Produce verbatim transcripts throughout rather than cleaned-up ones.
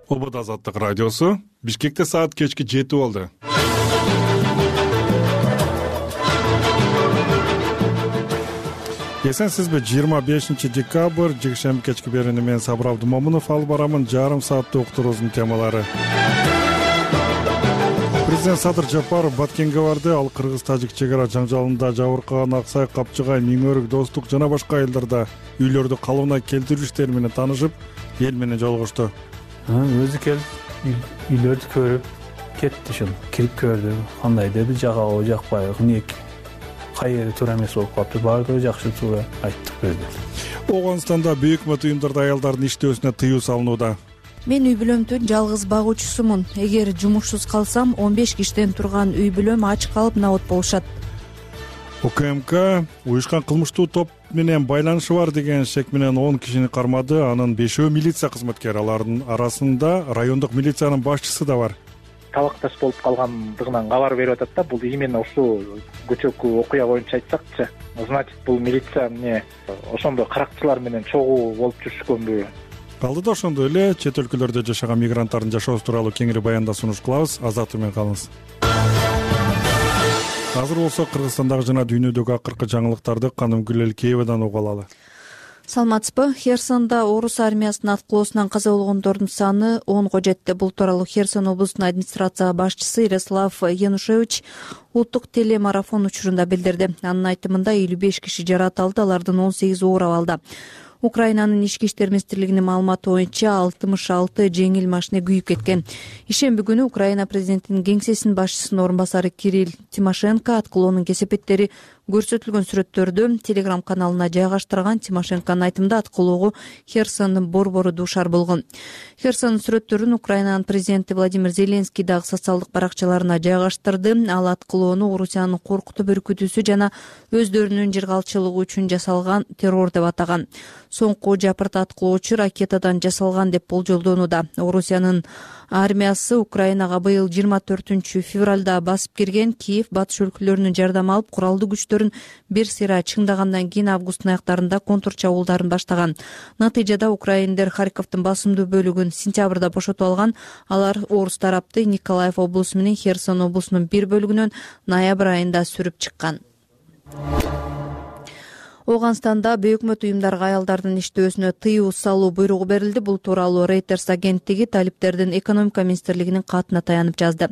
Обод Азаттык радиосу. Бишкекте саат кечки жети болду. Эсенсизби? жыйырма бешинчи декабрь жекшемби кечки берүүнү мен Сабыр Абдымомунов алып барамын. Жарым сааттык уктуруубуздун темалары. Президент Садыр Жапаров Баткенге барды. Ал кыргыз-тажик чек ара жаңжалында Жабыркаган, Аксай, Капчыгай, Миңөрүк, Достук жана башка айылдарда үйлөрдү калыбына келтирүү иштери менен таанышып, эл менен жолугушту. Өзү келип үйлөрдү көрүп кетти, ошол кирип көрдү. Кандай деди, жагабы, жакпайбы, эмнеге кайер туура эмес болуп калыптыр, баардыгы жакшы, туура айттык берди. Оганстанда бүйүк өкмөт уюмдарда аялдардын иштөөсүнө тыюу салынууда. Мен үй бүлөмдүн жалгыз багуучусумун. Эгер жумушсуз калсам, он беш киштен турган үй бүлөм ач калып набот болушат. УКМК уюшкан кылмыштуу топ менен байланышы бар деген шек менен он кишини кармады. Анын бешөө милиция кызматкери, алардын арасында райондук милициянын башчысы да бар. Талакташ болуп калгандыгынан кабар берип атат да. Бул именно ушул көчөкү окуя боюнча айтсакчы, значит, бул милиция эмне ошондой каракчылар менен чогуу болуп жүрүшкөнбү? Калды да ошондой эле чет өлкөлөрдө жашаган мигранттардын жашоосу тууралуу кеңири баянда сунуш кылабыз. Азаттык менен калыңыз. Азыр болсо Кыргызстандагы жана дүйнөдөгү акыркы жаңылыктарды Канымгүл Элкеевадан угуп алалы. Саламатсызбы? Херсонда орус армиясынын аткылоосунан каза болгондордун саны онго жетти. Бул тууралуу Херсон облусунун администрация башчысы Ярослав Янушевич улуттук телемарафон учурунда билдирди. Анын айтымында элүү беш киши жаратылды, алардын он сегизи оор абалда. Украинанын ички иштер министрлигинин маалыматы боюнча алтымыш алты жеңил машина күйүп кеткен. Ишемби күнү Украина президентинин кеңсесинин башчысынын орун басары Кирилл Тимошенко аткылоонун кесепеттери көрсөтүлгөн сүрөттөрдү Telegram каналына жайгаштырган. Тимошенконун айтымында аткылоого Херсондун борбору дуушар болгон. Херсондун сүрөттөрүн Украинанын президенти Владимир Зеленский дагы социалдык баракчаларына жайгаштырды. Ал аткылоону Орусиянын коркутуп үркүтүүсү жана өздөрүнүн жыргалчылыгы үчүн жасалган террор деп атаган. Соңку жапырт аткылоочу ракетадан жасалган деп болжолдонууда. Орусиянын армиясы Украинага быйыл жыйырма төртүнчү февралда басып кирген. Киев батыш өлкөлөрүнүн жардам алып, куралдуу күчтөрүн бир сыйра чыңдагандан кийин августтун аяктарында контрчабуулдарын баштаган. Натыйжада украиндер Харьковдун басымдуу бөлүгүн сентябрда бошотуп алган. Алар орус тарапты Николаев облусу менен Херсон облусунун бир бөлүгүнөн ноябрь айында сүрүп чыккан. Оганстанда бейөкмөт уюмдарга аялдардын иштөөсүнө тыюу салуу буйругу берилди. Бул тууралуу Reuters агенттиги талиптердин экономика министрлигинин катына таянып жазды.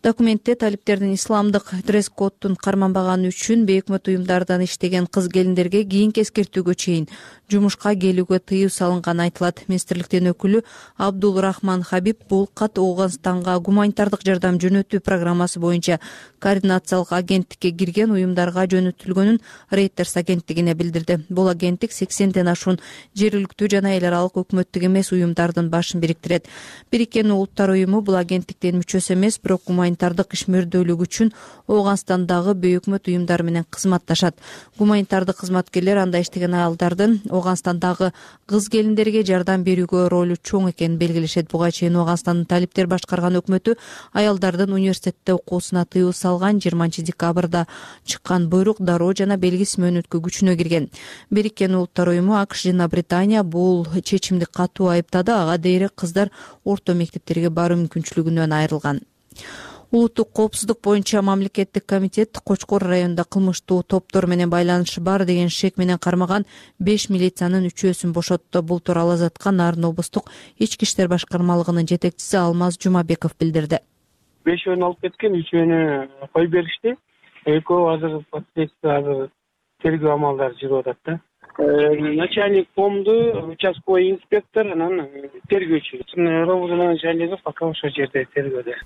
Документте талиптердин исламдык дресс-коддун карманбаганы үчүн бейөкмөт уюмдардан иштеген кыз-келиндерге кийинки эскертүүгө чейин жумушка келүүгө тыюу салынганы айтылат. Министрликтин өкүлү Абдул Рахман Хабиб бул кат Оганстанга гуманитардык жардам жөнөтүү программасы боюнча координациялык агенттикке кирген уюмдарга жөнөтүлгөнүн Reuters агенттигине билдирди. Бул агенттик сексенден ашуун жергиликтүү жана эл аралык өкмөттүк эмес уюмдардын башын бириктирет. Бириккен Улуттар уюму бул агенттиктин мүчөсү эмес, бирок гуманитардык ишмердүүлүк үчүн Оганстандагы бейөкмөт уюмдар менен кызматташат. Гуманитардык кызматкерлер анда иштеген аялдардын Оганстандагы кыз-келиндерге жардам берүүгө ролу чоң экенин белгилешет. Буга чейин Оганстандын талиптер башкарган өкмөтү аялдардын университетте окуусуна тыюу салган. жыйырманчы декабрда чыккан буйрук дароо жана белгисиз мөөнөткө күчүнө кирген. Бириккен Улуттар уюму АКШ жана Британия бул чечимди катуу айыптады. Ага дейре кыздар орто мектептерге баруу мүмкүнчүлүгүнөн айрылган. Улуттук коопсуздук боюнча мамлекеттик комитет Кочкор районунда кылмыштуу топтор менен байланышы бар деген шек менен кармаган беш милициянын үчөөсүн бошотту. Бул тууралуу Азаттыкка Нарын облустук ички иштер башкармалыгынын жетекчиси Алмаз Жумабеков билдирди. Бешөөнү алып кеткен, үчөөнү коюп беришти. Экөө азыр следствие азыр тергөө амалдары жүрүп атат да. Начальник помду, участковый инспектор, анан тергөөчү. Робудун начальниги пока ошол жерде тергөөдө.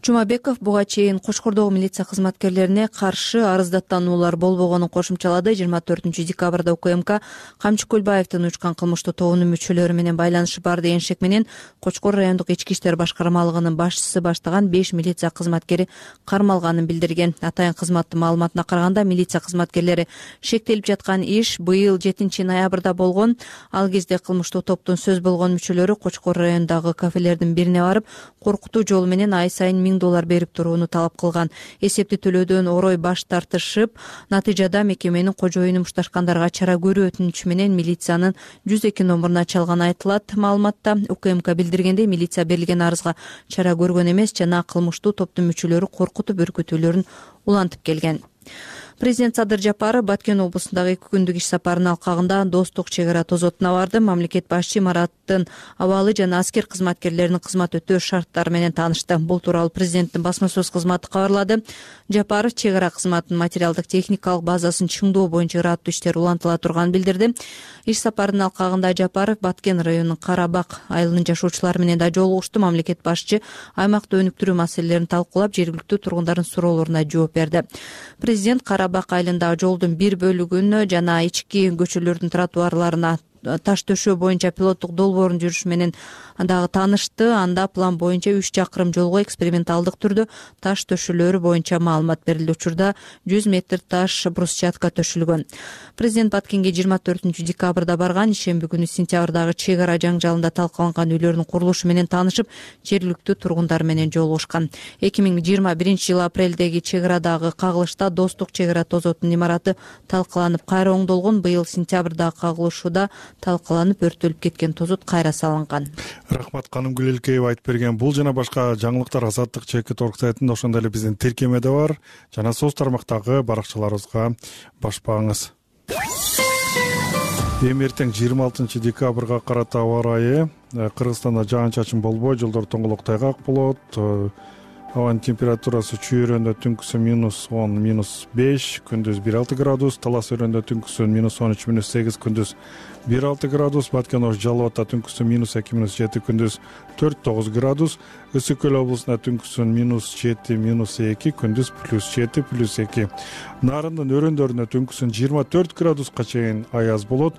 Жумабеков буга чейин Кочкордогу милиция кызматкерлерине каршы арыздаттануулар болбогонун кошумчалады. жыйырма төртүнчү декабрда УКМК Камчы Көлбаевдин учкан кылмыштуу тобунун мүчөлөрү менен байланышы бар деген шек менен Кочкор райондук ички иштер башкармалыгынын башчысы баштаган беш милиция кызматкери кармалганын билдирген. Атайын кызматтын маалыматына караганда, милиция кызматкерлери шектелип жаткан иш быйыл жетинчи ноябрда болгон. Ал кезде кылмыштуу топтун сөз болгон мүчөлөрү Кочкор районундагы кафелердин бирине барып, коркутуу жолу менен ай сайын миң доллар берип турууну талап кылган. Эсепти төлөөдөн орой баш тартышып, натыйжада мекеменин кожоюну мушташкандарга чара көрүү өтүнүчү менен милициянын жүз эки номуруна чалганы айтылат. Маалыматта УКМК билдиргендей, милиция берилген арызга чара көргөн эмес жана кылмыштуу топтун мүчөлөрү коркутуп үркүтүүлөрүн улантып келген. Президент Садыр Жапаров Баткен облусундагы эки күндүк иш сапарынын алкагында Достук чек ара тозотуна барды. Мамлекет башчы имараттын абалы жана аскер кызматкерлеринин кызмат өтөө шарттары менен таанышты. Бул тууралуу президенттин басма сөз кызматы кабарлады. Жапаров чек ара кызматынын материалдык техникалык базасын чыңдоо боюнча ыраттуу иштер улантыла турганын билдирди. Иш сапарынын алкагында Жапаров Баткен районунун Карабак айылынын жашоочулары менен да жолугушту. Мамлекет башчы аймакта өнүктүрүү маселелерин талкуулап, жергиликтүү тургундардын суроолоруна жооп берди. Президент Карабак айылындагы жолдун бир бөлүгүн жана ички көчөлөрдүн тротуарларына таш төшөө боюнча пилоттук долбоорун жүрүш менен дагы таанышты. Анда план боюнча үч чакырым жолго эксперименталдык түрдө таш төшөлөрү боюнча маалымат берилди. Учурда жүз метр таш брусчатка төшүлгөн. Президент Баткенге жыйырма төртүнчү декабрда барган. Ишемби күнү сентябрдагы чек ара жаңжалында талкаланган үйлөрдүн курулушу менен таанышып, жергиликтүү тургундар менен жолугушкан. эки миң жыйырма биринчи жылы апрелдеги чек арадагы кагылышта Достук чек ара тозотунун имараты талкаланып кайра оңдолгон. Быйыл сентябрдагы кагылышууда талкаланып өрттөлүп кеткен тозот кайра салынган. Рахмат, Канымгүл Элкеева айтып берген. Бул жана башка жаңылыктар Азаттык чекит орг сайтында, ошондой эле биздин тиркемеде бар. Жана соц тармактагы баракчаларыбызга башпаңыз. Эми эртең жыйырма алтынчы декабрга карата аба ырайы. Кыргызстанда жаан-чачын болбой, жолдор тоңголок тайгак болот. Абанын температурасы чүй өрөөндө түнкүсү минус он, минус беш, күндүз бир алты градус, Талас өрөөндө түнкүсү минус он үч, минус сегиз, күндүз бир алты градус, Баткен Ош Жалал Абадта түнкүсү минус эки, минус жети, күндүз төрт тогуз градус, Ысык Көл облусунда түнкүсү минус жети, минус эки, күндүз плюс жети, плюс эки. Нарындын өрөөндөрүндө түнкүсү жыйырма төрт градуска чейин аяз болот.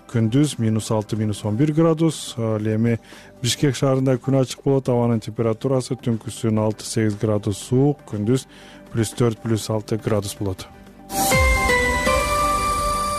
Күндүз минус алты, минус он бир градус. Эми Бишкек шаарында күн ачык болот. Абанын температурасы түнкүсү алты сегиз градус суук, күндүз плюс төрт, плюс алты градус болот.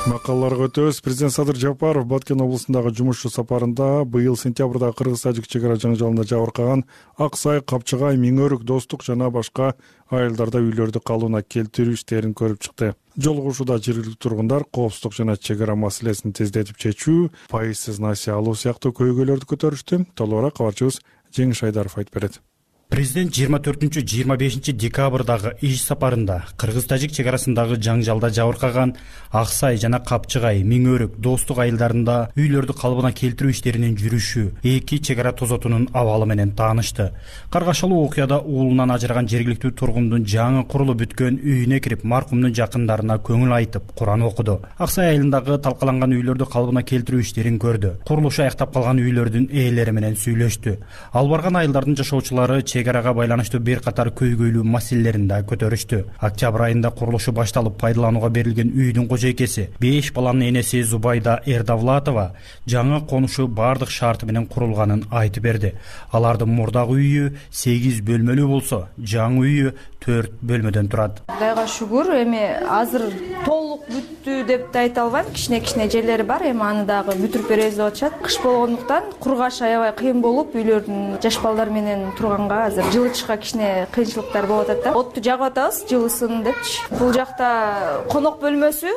Макалаларга өтөбүз. Президент Садыр Жапаров Баткен облусундагы жумушчу сапарында быйыл сентябрда кыргыз-тажик чек ара жаңжалында жабыркаган Ак Сай, Капчыгай, Миңөрүк, Достук жана башка айылдарда үйлөрдү калыбына келтирүү иштерин көрүп чыкты. Жолугушууда жергиликтүү тургундар коопсуздук жана чек ара маселесин тездетип чечүү, пайызсыз насыя алуу сыяктуу көйгөйлөрдү көтөрүштү. Толугураак кабарчыбыз Жеңиш Айдаров айтып берет. Президент жыйырма төртүнчү жыйырма бешинчи декабрдагы иш сапарында кыргыз-тажик чек арасындагы жаңжалда жабыркаган Ак Сай жана Капчыгай, Миңөрүк, Достук айылдарында үйлөрдү калыбына келтирүү иштеринин жүрүшү, эки чек ара тозотунун абалы менен таанышты. Каргашалуу окуяда уулунан ажыраган жергиликтүү тургундун жаңы курулуп бүткөн үйүнө кирип, маркумдун жакындарына көңүл айтып, Куран окуду. Ак Сай айылындагы талкаланган үйлөрдү калыбына келтирүү иштерин көрдү. Курулушу аяктап калган үйлөрдүн ээлери менен сүйлөштү. Ал барган айылдардын жашоочулары чек арага байланыштуу бир катар көйгөйлүү маселелерин да көтөрүштү. Октябрь айында курулушу башталып пайдаланууга берилген үйдүн кожойкеси, беш баланын энеси Зубайда Эрдавлатова жаңы конушу бардык шарты менен курулганын айтып берди. Алардын мурдагы үйү сегиз бөлмөлүү болсо, жаңы үйү төрт бөлмөдөн турат. Кудайга шүгүр, эми азыр толук бүттү деп да айта албайм. Кичине-кичине жерлери бар, эми аны дагы бүтүрүп беребиз деп атышат. Кыш болгондуктан кургаш аябай кыйын болуп, үйлөрдүн жаш балдар менен турганга азыр жылытышка кичине кыйынчылыктар болуп атат да. Отту жагып атабыз, жылысын депчи. Бул жакта конок бөлмөсү,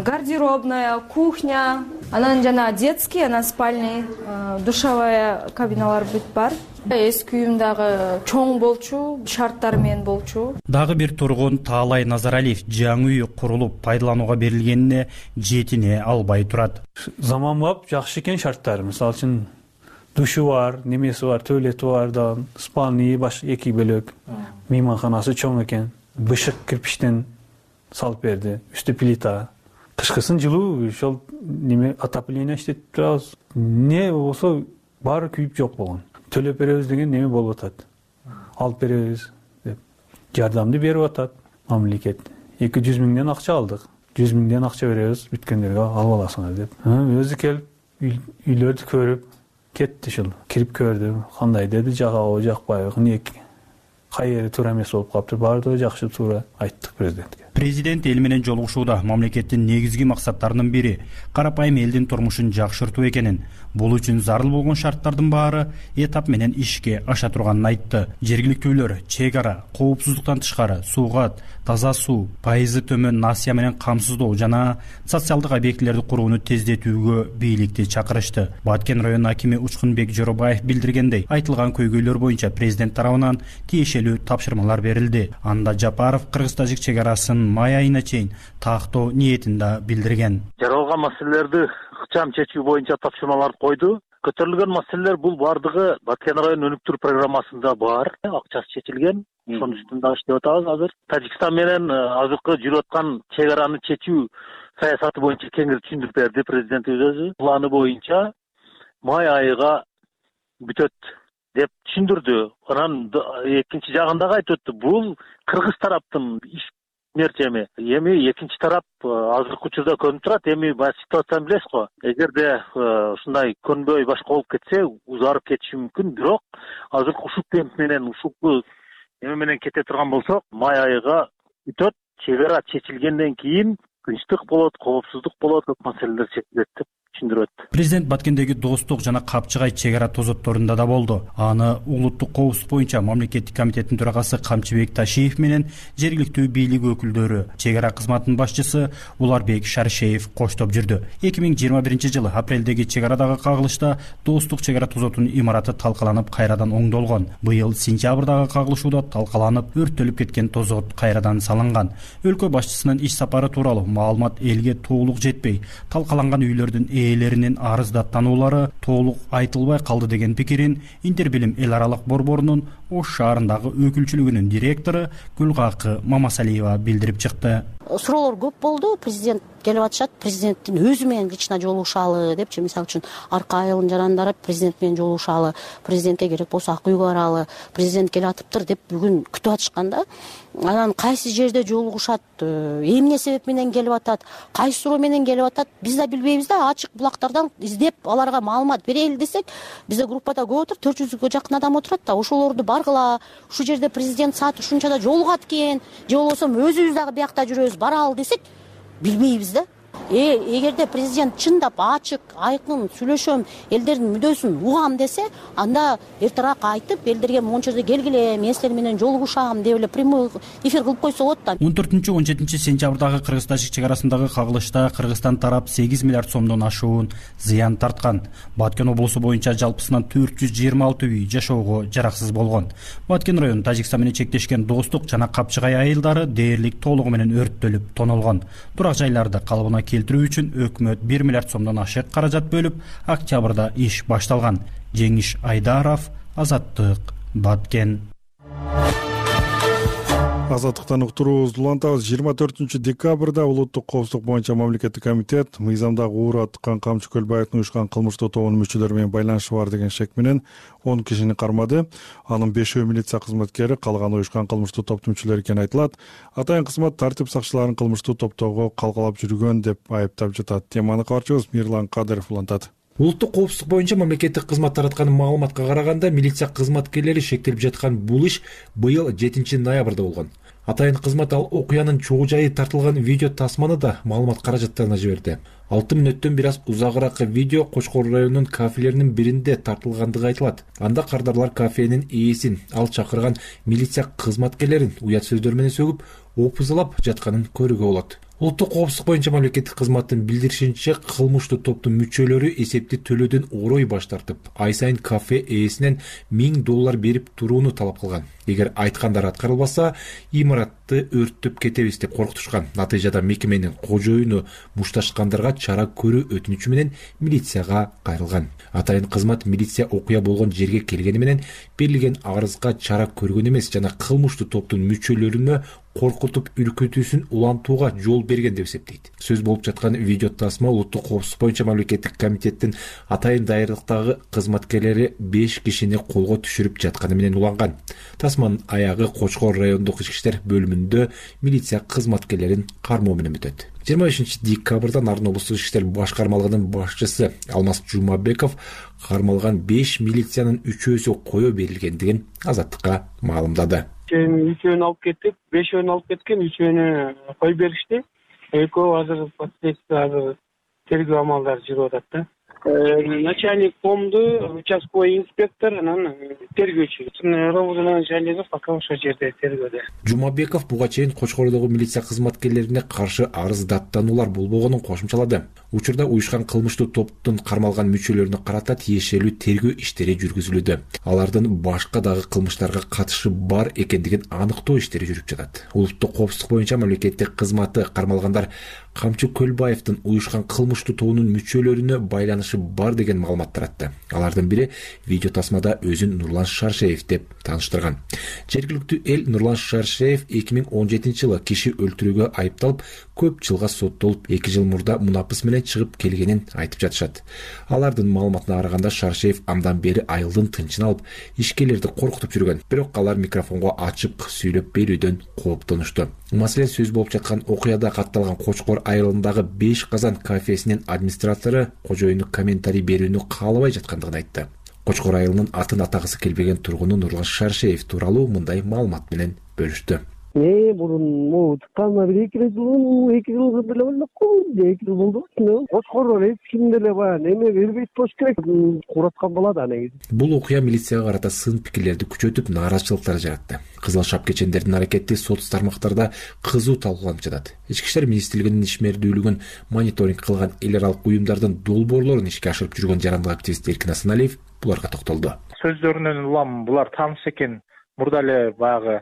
гардеробная, кухня, анан жана детский, анан спальный, душевая кабиналар бүт бар. Эски үйүм дагы чоң болчу, шарттары менен болчу. Дагы бир тургун Таалай Назаралиев жаңы үй курулуп пайдаланууга берилгенине жетине албай турат. Заманбап жакшы экен шарттары. Мисалы үчүн душу бар, немеси бар, туалети бар да, спальный баш эки бөлөк, мейманканасы чоң экен. Бышык кирпичтен салып берди, үстү плита. Кышкысын жылуу, ошол неме отопление иштетип турабыз. Не болсо баары күйүп жок болгон. Төлөп беребиз деген неме болуп атат. Алып беребиз деп жардамды берип атат мамлекет. эки жүз миңден акча алдык. жүз миңден акча беребиз, бүткөндөргө алып аласыңар деп. Өзү келип үйлөрдү көрүп кетти, ушул кирип көрдү. Кандай деди, жагабы, жакпайбы, эмне кайери туура эмес болуп калыптыр. Баардыгы жакшы, туура айттык президентке. Президент эл менен жолугушууда мамлекеттин негизги максаттарынын бири карапайым элдин турмушун жакшыртуу экенин, бул үчүн зарыл болгон шарттардын баары этап менен ишке аша турганын айтты. Жергиликтүүлөр чек ара, коопсуздуктан тышкары суугат, таза суу, пайызы төмөн насыя менен камсыздоо жана социалдык объектилерди курууну тездетүүгө бийликти чакырышты. Баткен районунун акими Учкунбек Жоробаев билдиргендей, айтылган көйгөйлөр боюнча президент тарабынан тиешелүү тапшырмалар берилди. Анда Жапаров кыргыз-тажик чек арасын май айына чейин тактоо ниетин да билдирген. Жаралган маселелерди ыкчам чечүү боюнча тапшырмаларды койду. Көтөрүлгөн маселелер бул бардыгы Баткен район өнүктүрүү программасында бар. Акчасы чечилген. Ошонун үстүндө иштеп атабыз азыр. Тажикстан менен азыркы жүрүп аткан чек араны чечүү саясаты боюнча кеңири түшүндүрүп берди президентибиз өзү. Планы боюнча май айыга бүтөт деп түшүндүрдү. Анан экинчи жагында айтып өттү. Бул кыргыз тараптын иш мерчеми. Эми экинчи тарап азыркы учурда көнүп турат. Эми баягы ситуацияны билесиз го. Эгерде ушундай көнбөй башка болуп кетсе, узарып кетиши мүмкүн. Бирок азыркы ушул темп менен, ушул эме менен кете турган болсок, май айыга бүтөт. Чек ара чечилгенден кийин тынчтык болот, коопсуздук болот, көп маселелер чечилет деп түшүндүрөт. Президент Баткендеги Достук жана Капчыгай чек ара тозотторунда да болду. Аны улуттук коопсуздук боюнча мамлекеттик комитеттин төрагасы Камчыбек Ташиев менен жергиликтүү бийлик өкүлдөрү, чек ара кызматынын башчысы Уларбек Шаршеев коштоп жүрдү. эки миң жыйырма биринчи жылы апрелдеги чек арадагы кагылышта Достук чек ара тозотунун имараты талкаланып кайрадан оңдолгон. Быйыл сентябрдагы кагылышууда талкаланып өрттөлүп кеткен тозот кайрадан салынган. Өлкө башчысынын иш сапары тууралуу маалымат элге толук жетпей, талкаланган үйлөрдүн ээлеринин арыздаттанулары толук айтылбай калды деген пикирин Интербилим эл аралык борборунун Ош шаарындагы өкүлчүлүгүнүн директору Гүлгакы Мамасалиева билдирип чыкты. Суроолор көп болду. Президент келип атышат, президенттин өзү менен лично жолугушалы депчи, мисалы үчүн арка айылын жарандарып президент менен жолугушалы, президентке керек болсо ак үйгө баралы, президент келип атыптыр деп бүгүн күтүп атышканда, анан кайсы жерде жолугушат, эмне себеп менен келип атат, кайсы суроо менен келип атат, биз да билбейбиз да. Ачык булактардан издеп аларга маалымат берели десек, бизде группада көп отур, төрт жүзгө жакын адам отурат да. Ошолорду баргыла, ушул жерде президент саат ушунчада жолугат экен, же болбосо өзүбүз дагы биякта жүрөбүз, баралы десек, билбейбиз да. Э, эгерде президент чындап ачык, айкын сүйлөшөм, элдердин мүдөөсүн угам десе, анда эртерээк айтып, элдерге мончо жерде келгиле, мен силер менен жолугушам деп эле прямой эфир кылып койсо болот да. он төртүнчү он жетинчи сентябрдагы кыргыз-тажик чек арасындагы кагылышта Кыргызстан тарап сегиз миллиард сомдон ашуун зыян тарткан. Баткен облусу боюнча жалпысынан төрт жүз жыйырма алты үй жашоого жараксыз болгон. Баткен району Тажикстан менен чектешкен Достук жана Капчыгай айылдары дээрлик толугу менен өрттөлүп тонолгон. Турак жайларды калыбына келтирүү үчүн өкмөт бир миллиард сомдон ашык каражат бөлүп, октябрда иш башталган. Жеңиш Айдаров, Азаттык, Баткен. Азаттыктан уктуруубузду улантабыз. жыйырма төртүнчү декабрда улуттук коопсуздук боюнча мамлекеттик комитет мыйзамдагы уур аткан Камчы Көлбаевдин уюшкан кылмыштуу тобунун мүчөлөрү менен байланышы бар деген шек менен он кишини кармады. Анын бешөө милиция кызматкери, калганы уюшкан кылмыштуу топтун мүчөлөрү экени айтылат. Атайын кызмат тартип сакчыларын кылмыштуу топтогу калгалап жүргөн деп айыптап жатат. Теманы кабарчыбыз Мирлан Кадыров улантат. Улуттук коопсуздук боюнча мамлекеттик кызмат тараткан маалыматка караганда, милиция кызматкерлери шектелип жаткан бул иш быйыл жетинчи ноябрда болгон. Атайын кызмат ал окуянын чогуу жайы тартылган видео тасманы да маалымат каражаттарына жиберди. алты мүнөттөн бир аз узагыраак видео Кочкор районунун кафелеринин биринде тартылгандыгы айтылат. Анда кардарлар кафенин ээсин, ал чакырган милиция кызматкерлерин уят сөздөр менен сөгүп, опузалап жатканын көрүүгө болот. Улуттук коопсуздук боюнча мамлекеттик кызматтын билдиришинче, кылмыштуу топтун мүчөлөрү эсепти төлөөдөн орой баш тартып, ай сайын кафе ээсинен миң доллар берип турууну талап кылган. Эгер айткандар аткарылбаса, имаратты өрттөп кетебиз деп коркутушкан. Натыйжада мекеменин кожоюну мушташкандарга чара көрүү өтүнүчү менен милицияга кайрылган. Атайын кызмат милиция окуя болгон жерге келгени менен берилген арызга чара көргөн эмес жана кылмыштуу топтун мүчөлөрүнө коркутуп үркүтүүсүн улантууга жол берген деп эсептейт. Сөз болуп жаткан видео тасма улуттук коопсуздук боюнча мамлекеттик комитеттин атайын дайрылыктагы кызматкерлери беш кишини колго түшүрүп жатканы менен уланган. Тасманын аягы Кочкор райондук ички иштер бөлүмүндө милиция кызматкерлерин кармоо менен бүтөт. жыйырма бешинчи декабрда Нарын облустук ички иштер башкармалыгынын башчысы Алмаз Жумабеков кармалган беш милициянын үчөөсү кое берилгендигин Азаттыкка маалымдады. үчөөнү алып кеттик, бешөөнү алып кеткен, үчөөнү коюп беришти. Экөө азыр последствия азыр тергөө амалдары жүрүп атат да. Начальник комду, участковый инспектор, анан тергөөчү. Ровд начальниги пока ошол жерде тергөөдө. Жумабеков буга чейин Кочкордогу милиция кызматкерлерине каршы арыз даттануулар болбогонун кошумчалады. Учурда уюшкан кылмыштуу топтун кармалган мүчөлөрүнө карата тиешелүү тергөө иштери жүргүзүлүүдө. Алардын башка дагы кылмыштарга катышы бар экендигин аныктоо иштери жүрүп жатат. Улуттук коопсуздук боюнча мамлекеттик кызматы кармалгандар Камчы Көлбаевдин уюшкан кылмыштуу тобунун мүчөлөрүнө байланышы бар деген маалымат таратты. Алардын бири видео тасмада өзүн Нурлан Шаршеев деп тааныштырган. Жергиликтүү эл Нурлан Шаршеев эки миң он жетинчи жылы киши өлтүрүүгө айыпталып, көп жылга соттолуп, эки жыл мурда мунапыс менен чыгып келгенин айтып жатышат. Алардын маалыматына караганда Шаршеев андан бери айылдын тынчын алып, ишкерлерди коркутуп жүргөн. Бирок алар микрофонго ачык сүйлөп берүүдөн кооптонушту. Маселен, сөз болуп жаткан окуяда катталган Кочкор айылындагы беш казан кафесинин администратору кожоюну комментарий берүүнү каалабай жаткандыгын айтты. Кочкор айылынын атын атагысы келбеген тургуну Нурлан Шаршеев тууралуу мындай маалымат менен бөлүштү. Э, мурун могу чыкканыма бир эки жыл, эки жыл деле болмокку, эки жыл болду. Кочкордон эч ким деле баягы эме бербейт болуш керек. Кураткан болот а негизи. Бул окуя милицияга карата сын пикирлерди күчөтүп, нааразычылыктар жаратты. Кызыл шапкечендердин аракети соц тармактарда кызуу талкууланып жатат. Ички иштер министрлигинин ишмердүүлүгүн мониторинг кылган эл аралык уюмдардын долбоорлорун ишке ашырып жүргөн жарандык активист Эркин Асаналиев буларга токтолду. Сөздөрүнөн улам булар тааныш экен. Мурда эле баягы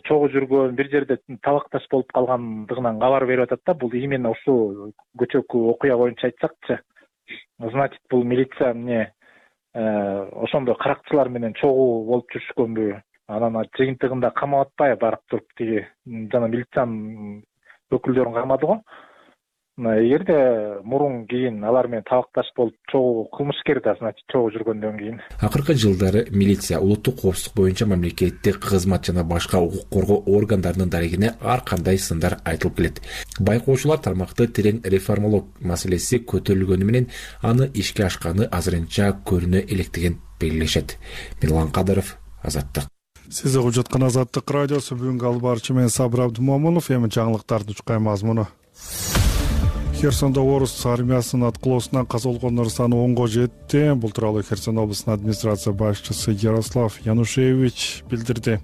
чогуу жүргөн, бир жерде талакташ болуп калгандыгынан кабар берип атат да. Бул именно ушул көчөкү окуя боюнча айтсакчы, значит, бул милиция эмне ошондой каракчылар менен чогуу болуп жүрүшкөнбү? Анан жыйынтыгында камап атпай барып туруп тиги жана милициянын өкүлдөрүн кармады го. Эгерде мурун кийин алар менен табакташ болуп чогуу кылмышкер да, значит, чогуу жүргөндөн кийин. Акыркы жылдары милиция улуттук коопсуздук боюнча мамлекеттик кызмат жана башка укук коргоо органдарынын дарегине ар кандай сындар айтылып келет. Байкоочулар тармакты терең реформалоо маселеси көтөрүлгөнү менен аны ишке ашканы азырынча көрүнө электигин белгилешет. Мирлан Кадыров, Азаттык. Сиз угуп жаткан Азаттык радиосу бүгүнкү алып баруучу мен Сабыр Абдымомунов. Эми жаңылыктардын чукай мазмуну. Херсонда орус армиясынын аткылоосунан каза болгондордун саны онго жетти. Бул тууралуу Херсон облусунун администрация башчысы Ярослав Янушевич билдирди.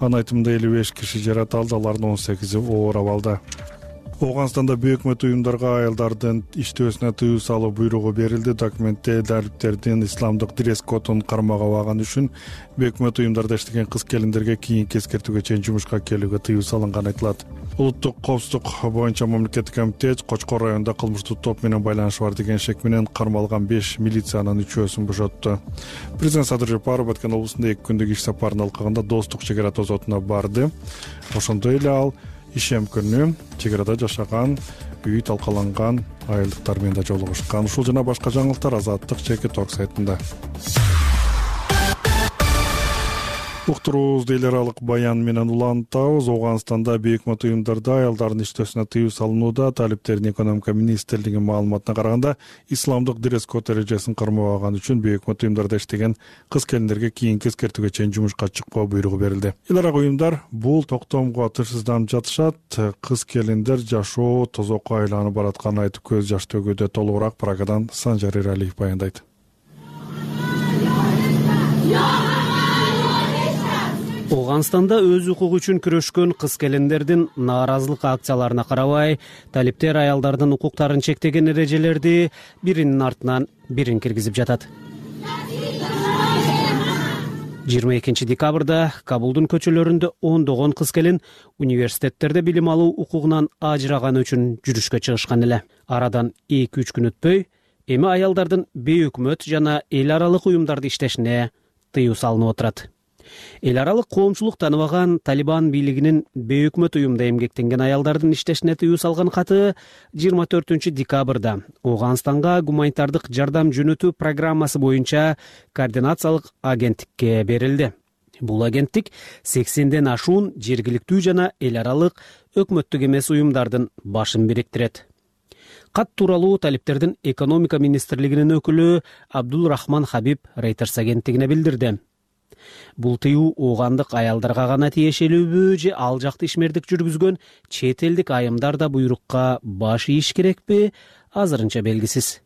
Анын айтымында элүү беш киши жаратылды, алардын он сегизи оор абалда. Ооганстанда бүйүк өкмөт уюмдарга аялдардын иштөөсүнө тыюу салуу буйругу берилди. Документте далиптердин исламдык дресс-кодун кармак абаганы үчүн бүйүк өкмөт уюмдарда иштеген кыз-келиндерге кийинки эскертүүгө чейин жумушка келүүгө тыюу салынганы айтылат. Улуттук коопсуздук боюнча мамлекеттик комитет Кочкор районунда кылмыштуу топ менен байланышы бар деген шек менен кармалган беш милициянын үчөөсүн бошотту. Президент Садыр Жапаров Баткен облусунда эки күндүк иш сапарын алкагында Достук чек ара тозотуна барды. Ошондой эле ал ишем күнү чек арада жашаган, үй талкаланган айылдыктар менен да жолугушкан. Ушул жана башка жаңылыктар Азаттык чекит орг сайтында. Уктуруубузду эл аралык баян менен улантабыз. Ооганстанда бейик өкмөт уюмдарда аялдардын иштөөсүнө тыюу салынууда. Талиптердин экономика министрлигинин маалыматына караганда, исламдык дресс-код эрежесин кармабаган үчүн бейик өкмөт уюмдарда иштеген кыз-келиндерге кийинки эскертүүгө чейин жумушка чыкпоо буйругу берилди. Эл аралык уюмдар бул токтомго тынчсызданып жатышат. Кыз-келиндер жашоо тозокко айланып баратканын айтып көз жаш төгүүдө. Толугураак Прагадан Санжар Эралиев баяндайт. Ооганстанда өз укугу үчүн күрөшкөн кыз-келиндердин нааразылык акцияларына карабай, талиптер аялдардын укуктарын чектеген эрежелерди биринин артынан бирин киргизип жатат. жыйырма экинчи декабрда Кабулдун көчөлөрүндө ондогон кыз-келин университеттерде билим алуу укугунан ажыраганы үчүн жүрүшкө чыгышкан эле. Арадан эки үч күн өтпөй, эми аялдардын бейөкмөт жана эл аралык уюмдарда иштешине тыюу салынып отурат. Эл аралык коомчулук тааныбаган Талибан бийлигинин бейөкмөт уюмда эмгектенген аялдардын иштешине тыюу салган каты жыйырма төртүнчү декабрда Ооганстанга гуманитардык жардам жөнөтүү программасы боюнча координациялык агенттикке берилди. Бул агенттик сексенден ашуун жергиликтүү жана эл аралык өкмөттүк эмес уюмдардын башын бириктирет. Кат тууралуу талиптердин экономика министрлигинин өкүлү Абдул Рахман Хабиб Reuters агенттигине билдирди. Бул тыюу оогандык аялдарга гана тиешелүүбү же ал жакта ишмердик жүргүзгөн чет элдик айымдар да буйрукка баш ийиш керекпи, азырынча белгисиз.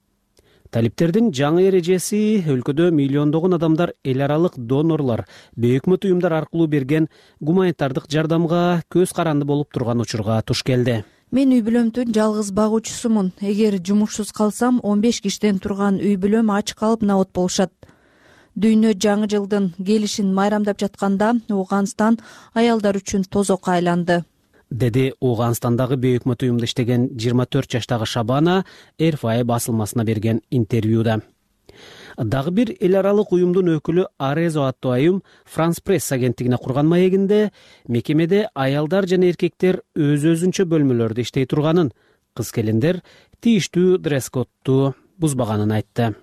Талиптердин жаңы эрежеси өлкөдө миллиондогон адамдар эл аралык донорлор, бейөкмөт уюмдар аркылуу берген гуманитардык жардамга көз каранды болуп турган учурга туш келди. Мен үй бүлөмдүн жалгыз багуучусумун. Эгер жумушсуз калсам, он беш киштен турган үй бүлөм ач калып набот болушат. Дүйнө жаңы жылдын келишин майрамдап жатканда Ооганстан аялдар үчүн тозокко айланды, деди Ооганстандагы бейөкмөт уюмда иштеген жыйырма төрт жаштагы Шабана эр эф ай басылмасына берген интервьюда. Дагы бир эл аралык уюмдун өкүлү Арезо аттуу айым Франс Пресс агенттигине курган маегинде мекемеде аялдар жана эркектер өз-өзүнчө бөлмөлөрдө иштей турганын, кыз-келиндер тийиштүү дресс-кодду бузбаганын айтты.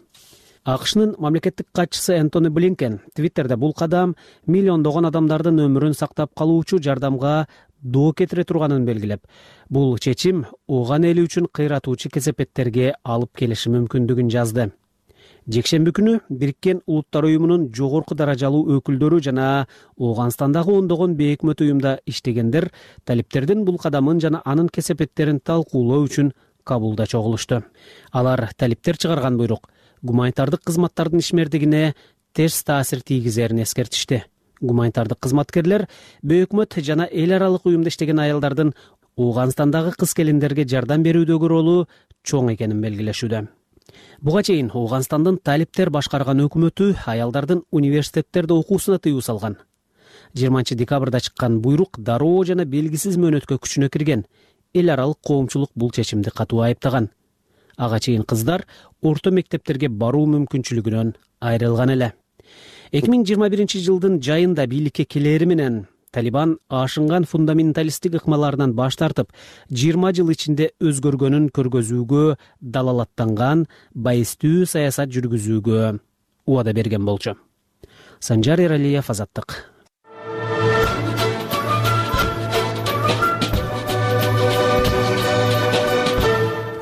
АКШнын мамлекеттик катчысы Энтони Блинкен Твиттерде бул кадам миллиондогон адамдардын өмүрүн сактап калуучу жардамга доо кетире турганын белгилеп, бул чечим ооган эли үчүн кыйратуучу кесепеттерге алып келиши мүмкүндүгүн жазды. Жекшемби күнү Бириккен Улуттар уюмунун жогорку даражалуу өкүлдөрү жана Ооганстандагы ондогон бейөкмөт уюмда иштегендер талиптердин бул кадамын жана анын кесепеттерин талкуулоо үчүн Кабулда чогулушту. Алар талиптер чыгарган буйрук гуманитардык кызматтардын ишмердигине терс таасир тийгизерин эскертишти. Гуманитардык кызматкерлер бейөкмөт жана эл аралык уюмда иштеген аялдардын Ооганстандагы кыз-келиндерге жардам берүүдөгү ролу чоң экенин белгилешүүдө. Буга чейин Ооганстандын талиптер башкарган өкмөтү аялдардын университеттерде окуусуна тыюу салган. жыйырманчы декабрда чыккан буйрук дароо жана белгисиз мөөнөткө күчүнө кирген. Эл аралык коомчулук бул чечимди катуу айыптаган. Ага чейин кыздар орто мектептерге баруу мүмкүнчүлүгүнөн айрылган эле. эки миң жыйырма биринчи жылдын жайында бийликке келери менен Талибан ашынган фундаменталисттик ыкмаларынан баш тартып, жыйырма жыл ичинде өзгөргөнүн көргөзүүгө, далалаттанган байыстуу саясат жүргүзүүгө убада берген болчу. Санжар Эралиев, Азаттык.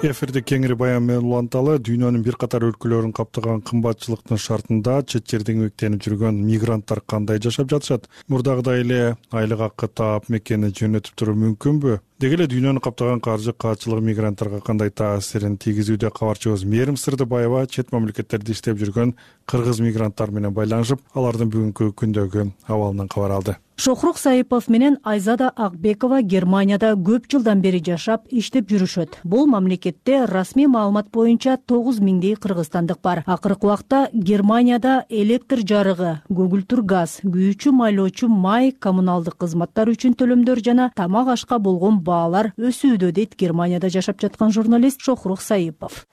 Эфирде кеңири баян менен уланталы. Дүйнөнүн бир катар өлкөлөрүн каптаган кымбатчылыктын шартында чет жерден эмгектенип жүргөн мигранттар кандай жашап жатышат? Мурдагыдай эле айлык акы таап мекени жөнөтүп туруу мүмкүнбү? Деги эле дүйнөнү каптаган каржы каатчылыгы мигранттарга кандай таасирин тийгизүүдө? Кабарчыбыз Мээрим Сырдыбаева чет мамлекеттерде иштеп жүргөн кыргыз мигранттар менен байланышып, алардын бүгүнкү күндөгү абалынан кабар алды. Шохрук Саипов менен Айзада Акбекова Германияда көп жылдан бери жашап, иштеп жүрүшөт. Бул мамлекетте расмий маалымат боюнча тогуз миңдей кыргызстандык бар. Акыркы убакта Германияда электр жарыгы, көгүлтүр газ, күйүүчү майлоочу май, коммуналдык кызматтар үчүн төлөмдөр жана тамак ашка болгон баалар өсүүдө, дейт Германияда жашап жаткан журналист Шохрук Саипов.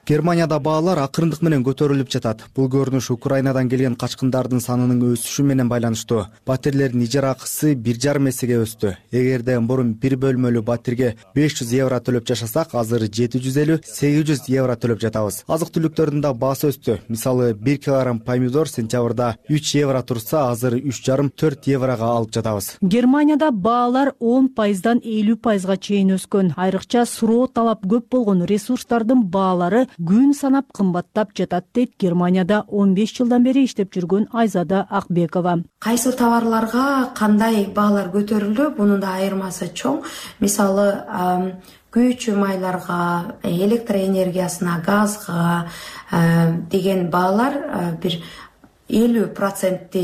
Германияда баалар акырындык менен көтөрүлүп жатат. Бул көрүнүш Украинадан келген качкындардын санынын өсүшү менен байланыштуу. Батирлердин ижара акысы бир жарым эсеге өстү. Эгерде мурун бир бөлмөлүү батирге беш жүз евро төлөп жашасак, азыр жети жүз элүү сегиз жүз евро төлөп жатабыз. Азык-түлүктөрдүн да баасы өстү. Мисалы, бир килограмм помидор сентябрда үч евро турса, азыр үч жарым төрт еврого алып жатабыз. Германияда баалар он пайыздан элүү пайызга чейин өскөн. Айрыкча суроо талап көп болгон ресурстардын баалары күн санап кымбаттап жатат, дейт Германияда он беш жылдан бери иштеп жүргөн Айзада Акбекова. Кайсы товарларга кандай баалар көтөрүлдү, мунун да айырмасы чоң. Мисалы, күйүүчү майларга, электр энергиясына, газга деген баалар бир элүү процентти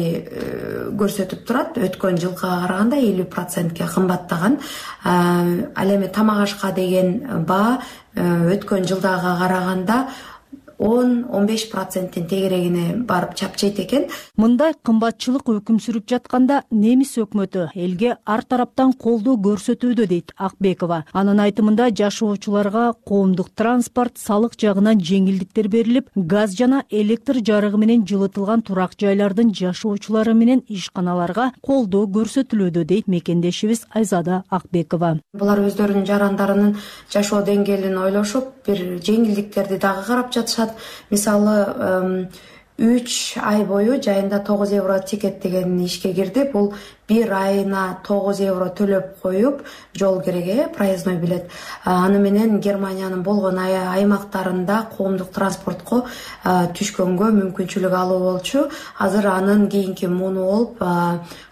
көрсөтүп турат. Өткөн жылга караганда элүү процентке кымбаттаган. Ал эми тамак ашка деген баа өткөн жылдага караганда он он беш проценттин тегерегине барып чапчайт экен. Мындай кымбатчылык өкүм сүрүп жатканда немис өкмөтү элге ар тараптан колдоо көрсөтүүдө, дейт Акбекова. Анын айтымында жашоочуларга коомдук транспорт, салык жагынан жеңилдиктер берилип, газ жана электр жарыгы менен жылытылган турак жайлардын жашоочулары менен ишканаларга колдоо көрсөтүлүүдө, дейт мекендешибиз Айзада Акбекова. Булар өздөрүнүн жарандарынын жашоо деңгээлин ойлошуп, бир жеңилдиктерди дагы карап жатышат. Мисалы, үч ай бою жайында тогуз евро тикет деген ишке кирди. Бул бир айына тогуз евро төлөп коюп жол кереги проездной билет. Аны менен Германиянын болгон аймактарында коомдук транспортко түшкөнгө мүмкүнчүлүк алуу болчу. Азыр анын кийинки муну болуп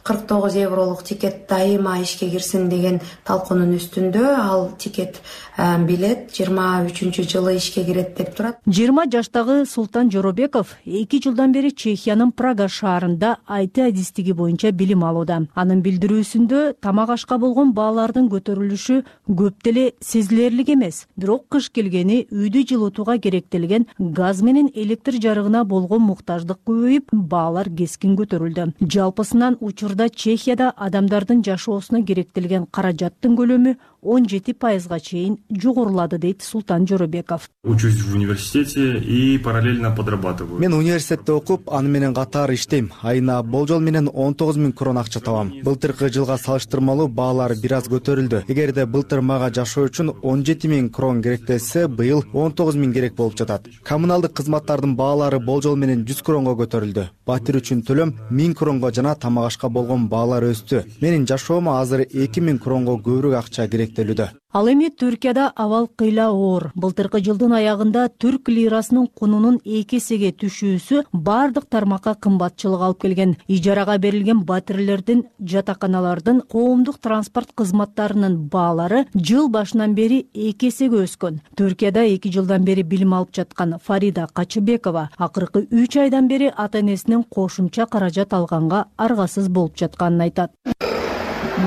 кырк тогуз евролук тикет дайыма ишке кирсин деген талкуунун үстүндө. Ал тикет билет жыйырма үчүнчү жылы ишке кирет деп турат. жыйырма жаштагы Султан Жоробеков эки жылдан бери Чехиянын Прага шаарында ай ти адистиги боюнча билим алууда. Анын билдирүүсүндө тамак ашка болгон баалардын көтөрүлүшү көп деле сезилерлик эмес. Бирок кыш келгени үйдү жылытууга керектелген газ менен электр жарыгына болгон муктаждык көбөйүп, баалар кескин көтөрүлдү. Жалпысынан учурда Чехияда адамдардын жашоосуна керектелген каражаттын көлөмү он жети пайызга чейин жогорулады, дейт Султан Жоробеков. Учусь в университете и параллельно подрабатываю. Мен университетте окуп, аны менен катар иштейм. Айына болжол менен он тогуз миң крон акча табам. Былтыркы жылга салыштырмалуу баалар бир аз көтөрүлдү. Эгерде былтыр мага жашоо үчүн он жети миң крон керектелсе, быйыл он тогуз миң керек болуп жатат. Коммуналдык кызматтардын баалары болжол менен жүз кронго көтөрүлдү. Батир үчүн төлөм миң кронго жана тамак ашка болгон баалар өстү. Менин жашоомо азыр эки миң кронго көбүрөөк акча керектелүүдө. Ал эми Түркияда абал кыйла оор. Былтыркы жылдын аягында түрк лирасынын кунунун эки эсеге түшүүсү бардык тармакка кымбатчылык алып келген. Ижарага берилген батирлердин, жатаканалардын, коомдук транспорт кызматтарынын баалары жыл башынан бери эки эсеге өскөн. Түркияда эки жылдан бери билим алып жаткан Фарида Качыбекова акыркы үч айдан бери ата-энесинен кошумча каражат алганга аргасыз болуп жатканын айтат.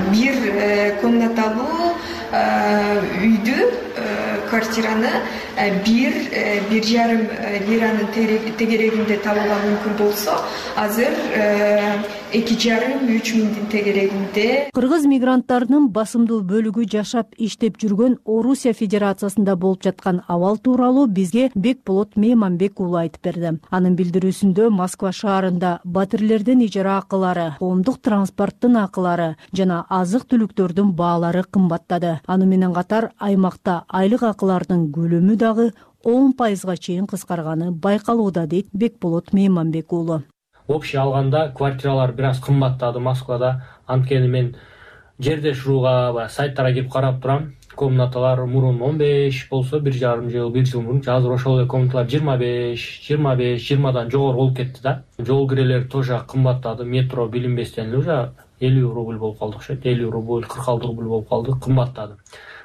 Бир комнаталуу үйдү, квартираны бир бир жарым лиранын тегерегинде табууга мүмкүн болсо, азыр эки жарым үч миңдин тегерегинде. Кыргыз мигранттарынын басымдуу бөлүгү жашап иштеп жүргөн Орусия Федерациясында болуп жаткан абал тууралуу бизге Бекболот Мейманбек уулу айтып берди. Анын билдирүүсүндө Москва шаарында батирлердин ижара акылары, коомдук транспорттун акылары жана азык-түлүктөрдүн баалары кымбаттады. Аны менен катар аймакта айлык акылардын көлөмү дагы он пайызга чейин кыскарганы байкалууда, дейт Бекболот Мейманбек уулу. Общий алганда квартиралар бир аз кымбаттады Москвада. Анткени мен жерде шуруга сайттарга кирип карап турам. Комнаталар мурун он беш болсо, бир жарым жыл, бир жыл мурун, азыр ошол эле комнаталар жыйырма беш, жыйырма беш, жыйырмадан жогору болуп кетти да. Жол кирелери тоже кымбаттады. Метро билинбестен эле уже элүү рубль болуп калды окшойт. элүү рубль, кырк алты рубль болуп калды, кымбаттады.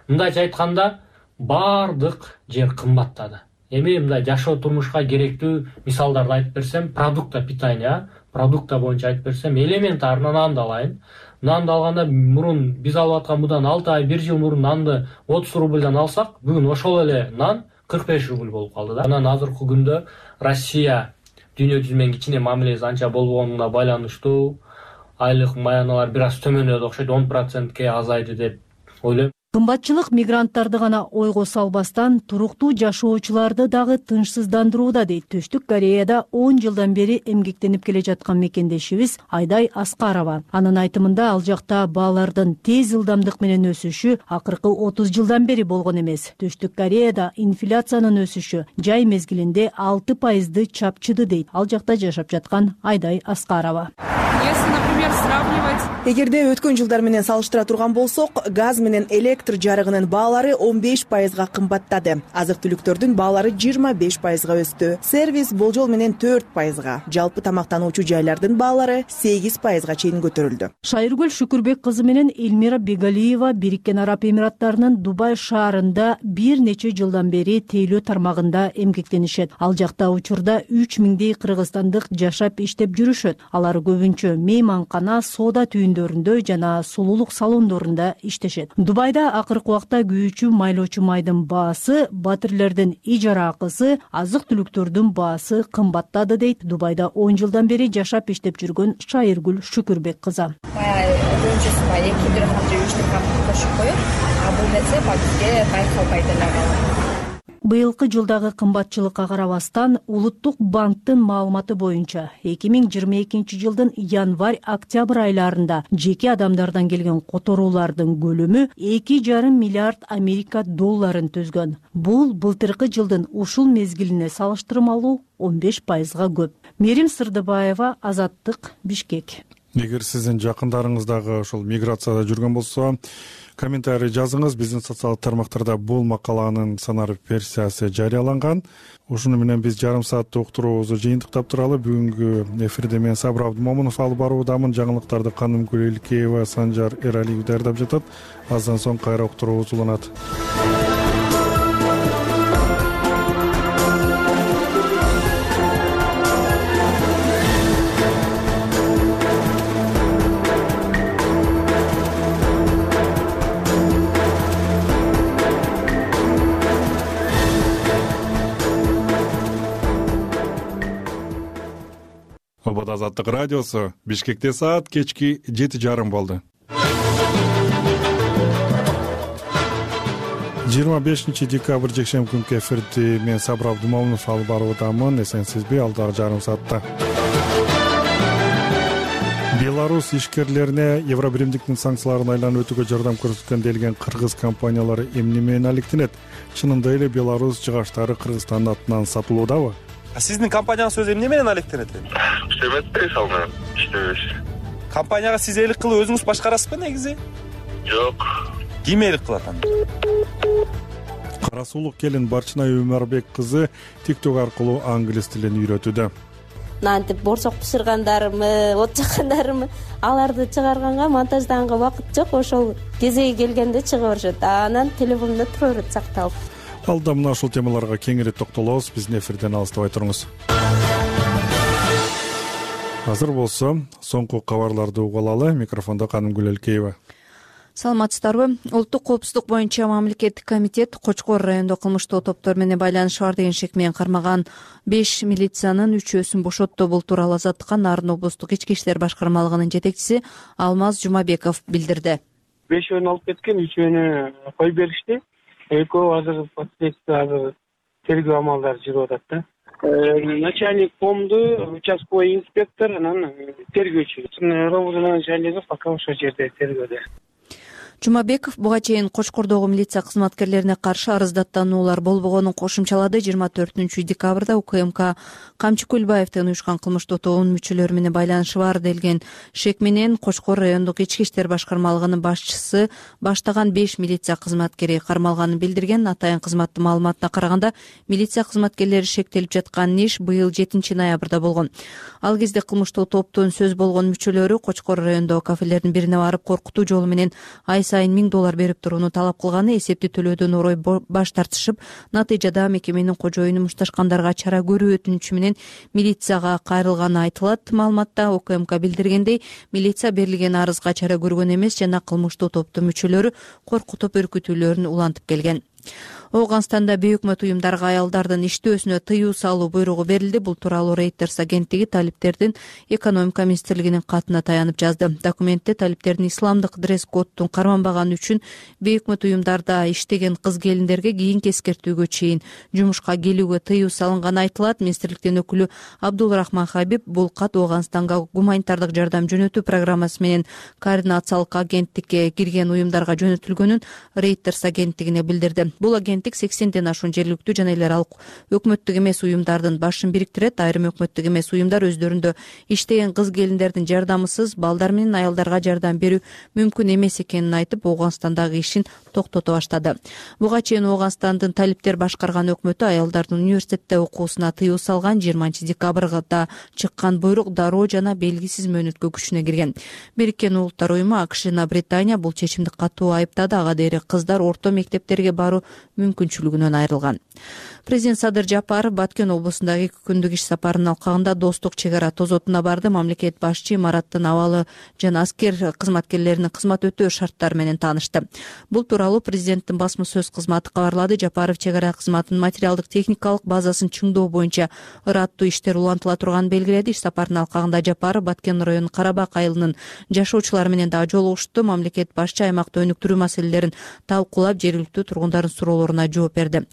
Мындайча айтканда, бардык жер кымбаттады. Эми мындай жашоо турмушка керектүү мисалдарды айтып берсем, продукта питания, продукта боюнча айтып берсем, элементарно нанды алайын. Нанды алганда мурун биз алып аткан мындан алты ай, бир жыл мурун нанды отуз рубльдан алсак, бүгүн ошол эле нан кырк беш рубль болуп калды да. Анан азыркы күндө Россия дүйнө жүзү менен кичине мамилеси анча болбогонуна байланыштуу айлык маяналар бир аз төмөндөдү окшойт, он процентке азайды деп ойлойм. Кымбатчылык мигранттарды гана ойго салбастан туруктуу жашоочуларды дагы тынчсыздандырууда, дейт Түштүк Кореяда он жылдан бери эмгектенип келе жаткан мекендешибиз Айдай Аскарова. Анын айтымында ал жакта баалардын тез ылдамдык менен өсүшү акыркы отуз жылдан бери болгон эмес. Түштүк Кореяда инфляциянын өсүшү жай мезгилинде алты пайызды чапчыды, дейт ал жакта жашап жаткан Айдай Аскарова. Эгерде өткөн жылдар менен салыштыра турган болсок, газ менен электр жарыгынын баалары он беш пайызга кымбаттады. Азык-түлүктөрдүн баалары жыйырма беш пайызга өстү. Сервис болжол менен төрт пайызга. Жалпы тамактануучу жайлардын баалары сегиз пайызга чейин көтөрүлдү. Шайыргүл Шүкүрбек кызы менен Элмира Бегалиева Бириккен Араб Эмираттарынын Дубай шаарында бир нече жылдан бери тейлөө тармагында эмгектенишет. Ал жакта учурда үч миңдей кыргызстандык жашап иштеп жүрүшөт. Алар көбүнчө мейманкана, соода түйүндөрүндө жана сулуулук салондорунда иштешет. Дубайда акыркы убакта күйүүчү майлоочу майдын баасы, батирлердин ижара акысы, азык-түлүктөрдүн баасы кымбаттады, дейт Дубайда он жылдан бери жашап иштеп жүргөн Шайыргүл Шүкүрбек кызы. Көбүнчөсү эки дирхам же үч дирхам кошуп коюп, а бул нерсе бизге байкалбайт эле. Быйылкы жылдагы кымбатчылыкка карабастан Улуттук банктын маалыматы боюнча эки миң жыйырма экинчи жылдын январь-октябрь айларында жеке адамдардан келген которуулардын көлөмү эки жарым миллиард Америка долларын түзгөн. Бул былтыркы жылдын ушул мезгилине салыштырмалуу он беш пайызга көп. Мерим Сырдыбаева, Азаттык, Бишкек. эгер сиздин жакындарыңыз дагы ошол миграцияда жүргөн болсо комментарий жазыңыз. Биздин социалдык тармактарда бул макаланын санар версиясы жарыяланган. Ушуну менен биз жарым сааттык уктуруубузду жыйынтыктап туралы. Бүгүнкү эфирде мен Сабыр Абдымомунов алып баруудамын. Жаңылыктарды Канымгүл Элкеева, Санжар Эралиев даярдап жатат. Аздан соң кайра уктуруубуз уланат. Обод Азаттык радиосу. Бишкекте саат кечки жети жарым болду. жыйырма бешинчи декабрь жекшемби күнкү эфирди мен Сабыр Абдымомунов алып баруудамын. Эсенсизби, алдагы жарым саатта Беларусь ишкерлерине Евробиримдиктин санкцияларын айланып өтүүгө жардам көрсөткөн делген кыргыз компаниялары эмне менен алектенет? Чынында эле Беларусь жыгачтары Кыргызстандын атынан сатылуудабы? Сиздин компанияңыз өзү эмне менен алектенет? Иштемете салган, иштебеш. Компанияга сиз элик кылып өзүңүз башкарасызбы негизи? Жок. Ким элик кылат анда? Кара суулук келин Барчынай Өмөрбек кызы TikTok аркылуу англис тилин үйрөтүүдө. Нантип борсок бышыргандарымы, от жаккандарымы, аларды чыгарганга, монтаждаганга убакыт жок. Ошол кезеги келгенде чыга беришет. Анан телефонумда тура берет сакталып. Алда мына ушул темаларга кеңири токтолобуз. Биздин эфирден алыстабай туруңуз. Азыр болсо соңку кабарларды угуп алалы. Микрофондо Канымгүл Элкеева. Саламатсыздарбы? Улуттук коопсуздук боюнча мамлекеттик комитет Кочкор райондо кылмыштуу топтор менен байланышы бар деген шек менен кармаган беш милициянын үчөөсүн бошотту. Бул тууралуу Азаттыкка Нарын облустук ички иштер башкармалыгынын жетекчиси Алмаз Жумабеков билдирди. Бешөөнү алып кеткен, үчөөнү коюп беришти. Экөө азыр следствие азыр тергөө амалдары жүрүп атат да. Начальник комду, участковый инспектор, анан тергөөчү. Ровд начальниги пока ошол жерде тергөөдө. Жумабеков буга чейин Кочкордогу милиция кызматкерлерине каршы арыздаттануулар болбогонун кошумчалады. жыйырма төртүнчү декабрда УКМК Камчы Кулбаевдин уюшкан кылмыштуу тобунун мүчөлөрү менен байланышы бар делген шек менен Кочкор райондук ички иштер башкармалыгынын башчысы баштаган беш милиция кызматкери кармалганын билдирген. Атайын кызматтын маалыматына караганда, милиция кызматкерлери шектелип жаткан иш быйыл жетинчи ноябрда болгон. Ал кезде кылмыштуу топтун сөз болгон мүчөлөрү Кочкор райондогу кафелердин бирине барып коркутуу жолу менен ай сайын миң доллар берип турууну талап кылганы, эсепти төлөөдөн орой баш тартышып, натыйжада мекеменин кожоюну мушташкандарга чара көрүү өтүнүчү менен милицияга кайрылганы айтылат. Маалыматта УКМК билдиргендей, милиция берилген арызга чара көргөн эмес жана кылмыштуу топтун мүчөлөрү коркутуп үркүтүүлөрүн улантып келген. Ооганстанда бейөкмөт уюмдарга аялдардын иштөөсүнө тыюу салуу буйругу берилди. Бул тууралуу Reuters агенттиги талиптердин экономика министрлигинин катына таянып жазды. Документте талиптердин исламдык дресс-коддун карманбаганы үчүн бейөкмөт уюмдарда иштеген кыз келиндерге кийинки эскертүүгө чейин жумушка келүүгө тыюу салынганы айтылат. Министрликтин өкүлү Абдулрахман Хабиб бул кат Ооганстанга гуманитардык жардам жөнөтүү программасы менен координациялык агенттикке кирген уюмдарга жөнөтүлгөнүн Reuters агенттигине билдирди. Бул агенттик сексенден ашуун жергиликтүү жана эл аралык өкмөттүк эмес уюмдардын башын бириктирет. Айрым өкмөттүк эмес уюмдар өздөрүндө иштеген кыз келиндердин жардамысыз балдар менен аялдарга жардам берүү мүмкүн эмес экенин айтып, Ооганстандагы ишин токтото баштады. Буга чейин Ооганстандын талиптер башкарган өкмөтү аялдардын университетте окуусуна тыюу салган. жыйырманчы декабрда чыккан буйрук дароо жана белгисиз мөөнөткө күчүнө кирген. Бириккен Улуттар уюму АКШ жана Британия бул чечимди катуу айыптады. Ага дейре кыздар орто мектептерге баруу мүмкүнчүлүгүнөн айрылган. Президент Садыр Жапаров Баткен облусундагы эки күндүк иш сапарынын алкагында Достук чек ара тозотуна барды. Мамлекет башчы имараттын абалы жана аскер кызматкерлеринин кызмат өтөө шарттары менен таанышты. Бул тууралуу президенттин басма сөз кызматы кабарлады. Жапаров чек ара кызматынын материалдык техникалык базасын чыңдоо боюнча ыраттуу иштер улантыла турганын белгиледи. Иш сапарынын алкагында Жапаров Баткен районунун Карабак айылынын жашоочулары менен дагы жолугушту. Мамлекет башчы аймакта өнүктүрүү маселелерин талкуулап, жергиликтүү тургундардын суроолоруна жооп берди.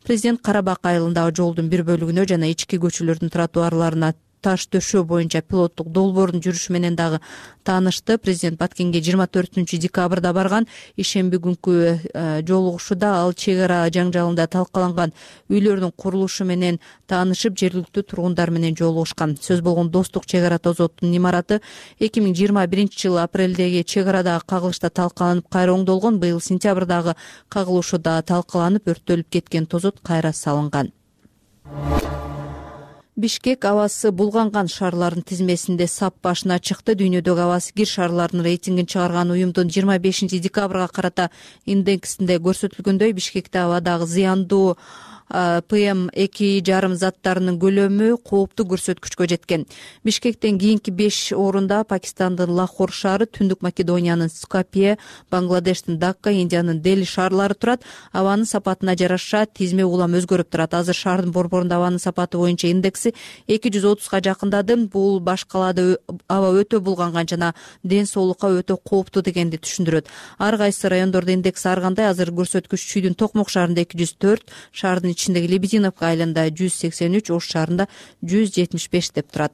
Президент Карабак айылындагы жолдун бир бөлүгүнө жана ички көчөлөрдүн тротуарларына таш төшөө боюнча пилоттук долбоордун жүрүшү менен дагы таанышты. Президент Баткенге жыйырма төртүнчү декабрда барган. Ишемби күнкү жолугушууда ал чек ара жаңжалында талкаланган үйлөрдүн курулушу менен таанышып, жергиликтүү тургундар менен жолугушкан. Сөз болгон Достук чек ара тозоттун имараты эки миң жыйырма биринчи жылы апрелдеги чек арадагы кагылышта талкаланып кайра оңдолгон. Быйыл сентябрдагы кагылышууда талкаланып, өрттөлүп кеткен тозот кайра салынган. Бишкек абасы булганган шаарлардын тизмесинде сап башына чыкты. Дүйнөдөгү абасы кир шаарлардын рейтингин чыгарган уюмдун жыйырма бешинчи декабрга карата индексинде көрсөтүлгөндөй, Бишкекте абадагы зыяндуу пэ эм эки жарым заттарынын көлөмү кооптуу көрсөткүчкө жеткен. Бишкектен кийинки беш орунда Пакистандын Лахор шаары, Түндүк Македониянын Скопье, Бангладештин Дакка, Индиянын Дели шаарлары турат. Абанын сапатына жараша тизме улам өзгөрүп турат. Азыр шаардын борборунда абанын сапаты боюнча индекси эки жүз отузга жакындады. Бул баш калаада аба өтө булганган жана ден соолукка өтө кооптуу дегенди түшүндүрөт. Ар кайсы райондордо индекс ар кандай. Азыр көрсөткүч Чүйдүн Токмок шаарында эки жүз төрт, шаардын ичиндеги Лебединовка айылында жүз сексен үч, Ош шаарында жүз жетимиш беш деп турат.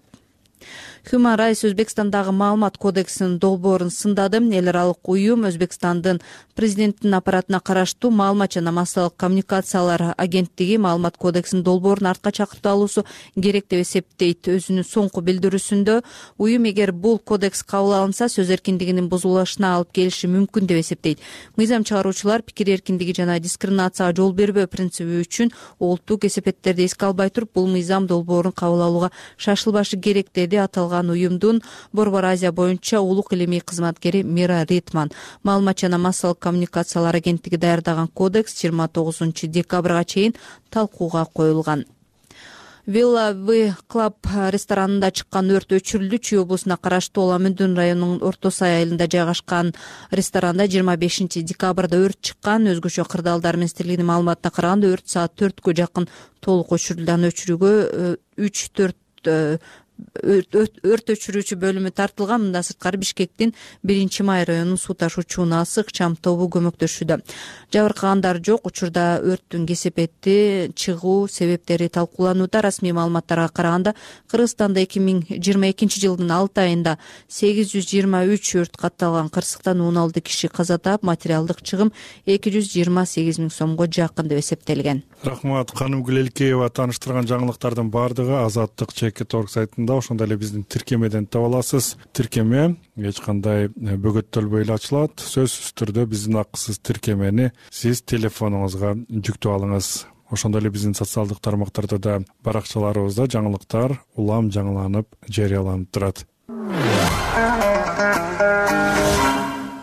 Human Rights Өзбекстандагы маалымат кодексинин долбоорун сындады. Эл аралык уюм Өзбекстандын президенттин аппаратына караштуу маалымат жана массалык коммуникациялар агенттиги маалымат кодексинин долбоорун артка чакыртып алуусу керек деп эсептейт. Өзүнүн соңку билдирүүсүндө уюм эгер бул кодекс кабыл алынса, сөз эркиндигинин бузулушуна алып келиши мүмкүн деп эсептейт. Мыйзам чыгаруучулар пикир эркиндиги жана дискриминацияга жол бербөө принциби үчүн олуттуу кесепеттерди эске албай туруп, бул мыйзам долбоорун кабыл алууга шашылбашы керек деди аталган уюмдун Борбор Азия боюнча улук илимий кызматкери Мира Ритман. Маалымат жана массалык коммуникациялар агенттиги даярдаган кодекс жыйырма тогузунчу декабрга чейин талкууга коюлган. Вилла В Клаб ресторанында чыккан өрт өчүрүлдү. Чүй облусуна караштуу Уламүндүн районунун Орто Сай айылында жайгашкан ресторанда жыйырма бешинчи декабрда өрт чыккан. Өзгөчө Кырдаалдар министрлигинин маалыматына караганда өрт саат төрткө жакын толук өчүрүлдү. Аны өчүрүүгө үч төрт өрт өчүрүүчү бөлүмү тартылган. Мындан сырткары Бишкектин биринчи май районунун суу ташуучу насык чам тобу көмөктөшүүдө. Жабыркагандар жок. Учурда өрттүн кесепети, чыгуу себептери талкууланууда. Расмий маалыматтарга караганда Кыргызстанда эки миң жыйырма экинчи жылдын алты айында сегиз жүз жыйырма үч өрт катталган. Кырсыктан он алты киши каза таап, материалдык чыгым эки жүз жыйырма сегиз миң сомго жакын деп эсептелген. Рахмат. Каным Гүлелкеева таныштырган жаңылыктардын баардыгы Азаттык чекит орг сайтында, ошондой эле биздин тиркемеден таба аласыз. Тиркеме эч кандай бөгөттөлбөй эле ачылат. Сөзсүз түрдө биздин акысыз тиркемени сиз телефонуңузга жүктөп алыңыз. Ошондой эле биздин социалдык тармактарда да баракчаларыбызда жаңылыктар улам жаңыланып жарыяланып турат.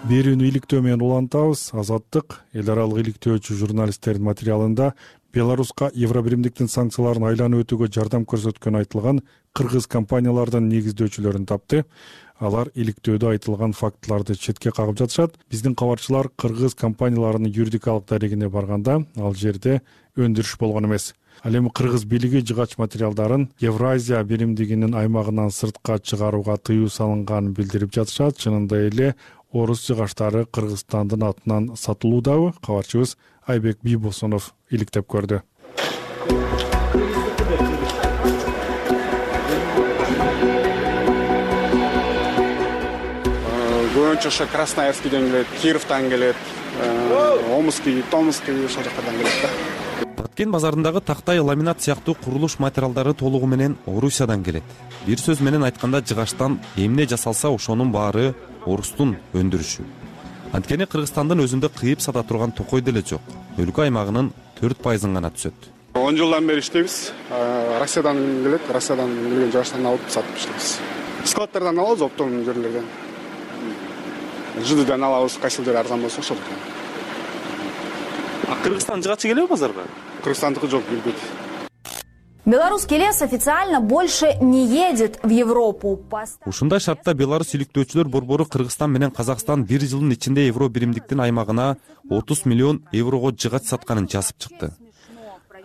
Берүүнү иликтөө менен улантабыз. Азаттык эл аралык иликтөөчү журналисттердин материалында Беларуска Евробиримдиктин санкцияларын айланып өтүүгө жардам көрсөткөнү айтылган кыргыз компаниялардын негиздөөчүлөрүн тапты. Алар иликтөөдө айтылган фактыларды четке кагып жатышат. Биздин кабарчылар кыргыз компанияларынын юридикалык дарегине барганда ал жерде өндүрүш болгон эмес. Ал эми кыргыз бийлиги жыгач материалдарын Евразия биримдигинин аймагынан сыртка чыгарууга тыюу салынганын билдирип жатышат. Чынында эле орус жыгачтары Кыргызстандын атынан сатылуудабы? Кабарчыбыз Айбек Бийбосунов иликтеп көрдү. Көбүнчө ошо Красноярскийден келет, Кировтан келет, Омский, Томский ошол жактардан келет да. Баткен базарындагы тактай, ламинат сыяктуу курулуш материалдары толугу менен Орусиядан келет. Бир сөз менен айтканда жыгачтан эмне жасалса ошонун баары орустун өндүрүшү. Анткени Кыргызстандын өзүндө кыйып сата турган токой деле жок. Өлкө аймагынын төрт пайызын гана түзөт. он жылдан бери иштейбиз. Россиядан келет, Россиядан келген жыгачтан алып сатып иштейбиз. Складтардан алабыз, оптовый жерлерден. Жыдыдан алабыз, кайсыл жер арзан болсо ошол. А Кыргызстан жыгачы келеби базарга? Кыргызстандыкы жок, келбейт. Белорусский лес официально больше не едет в Европу. Ушундай шартта Беларусь иликтөөчүлөр борбору Кыргызстан менен Казакстан бир жылдын ичинде Евро биримдиктин аймагына отуз миллион еврого жыгач сатканын жазып чыкты.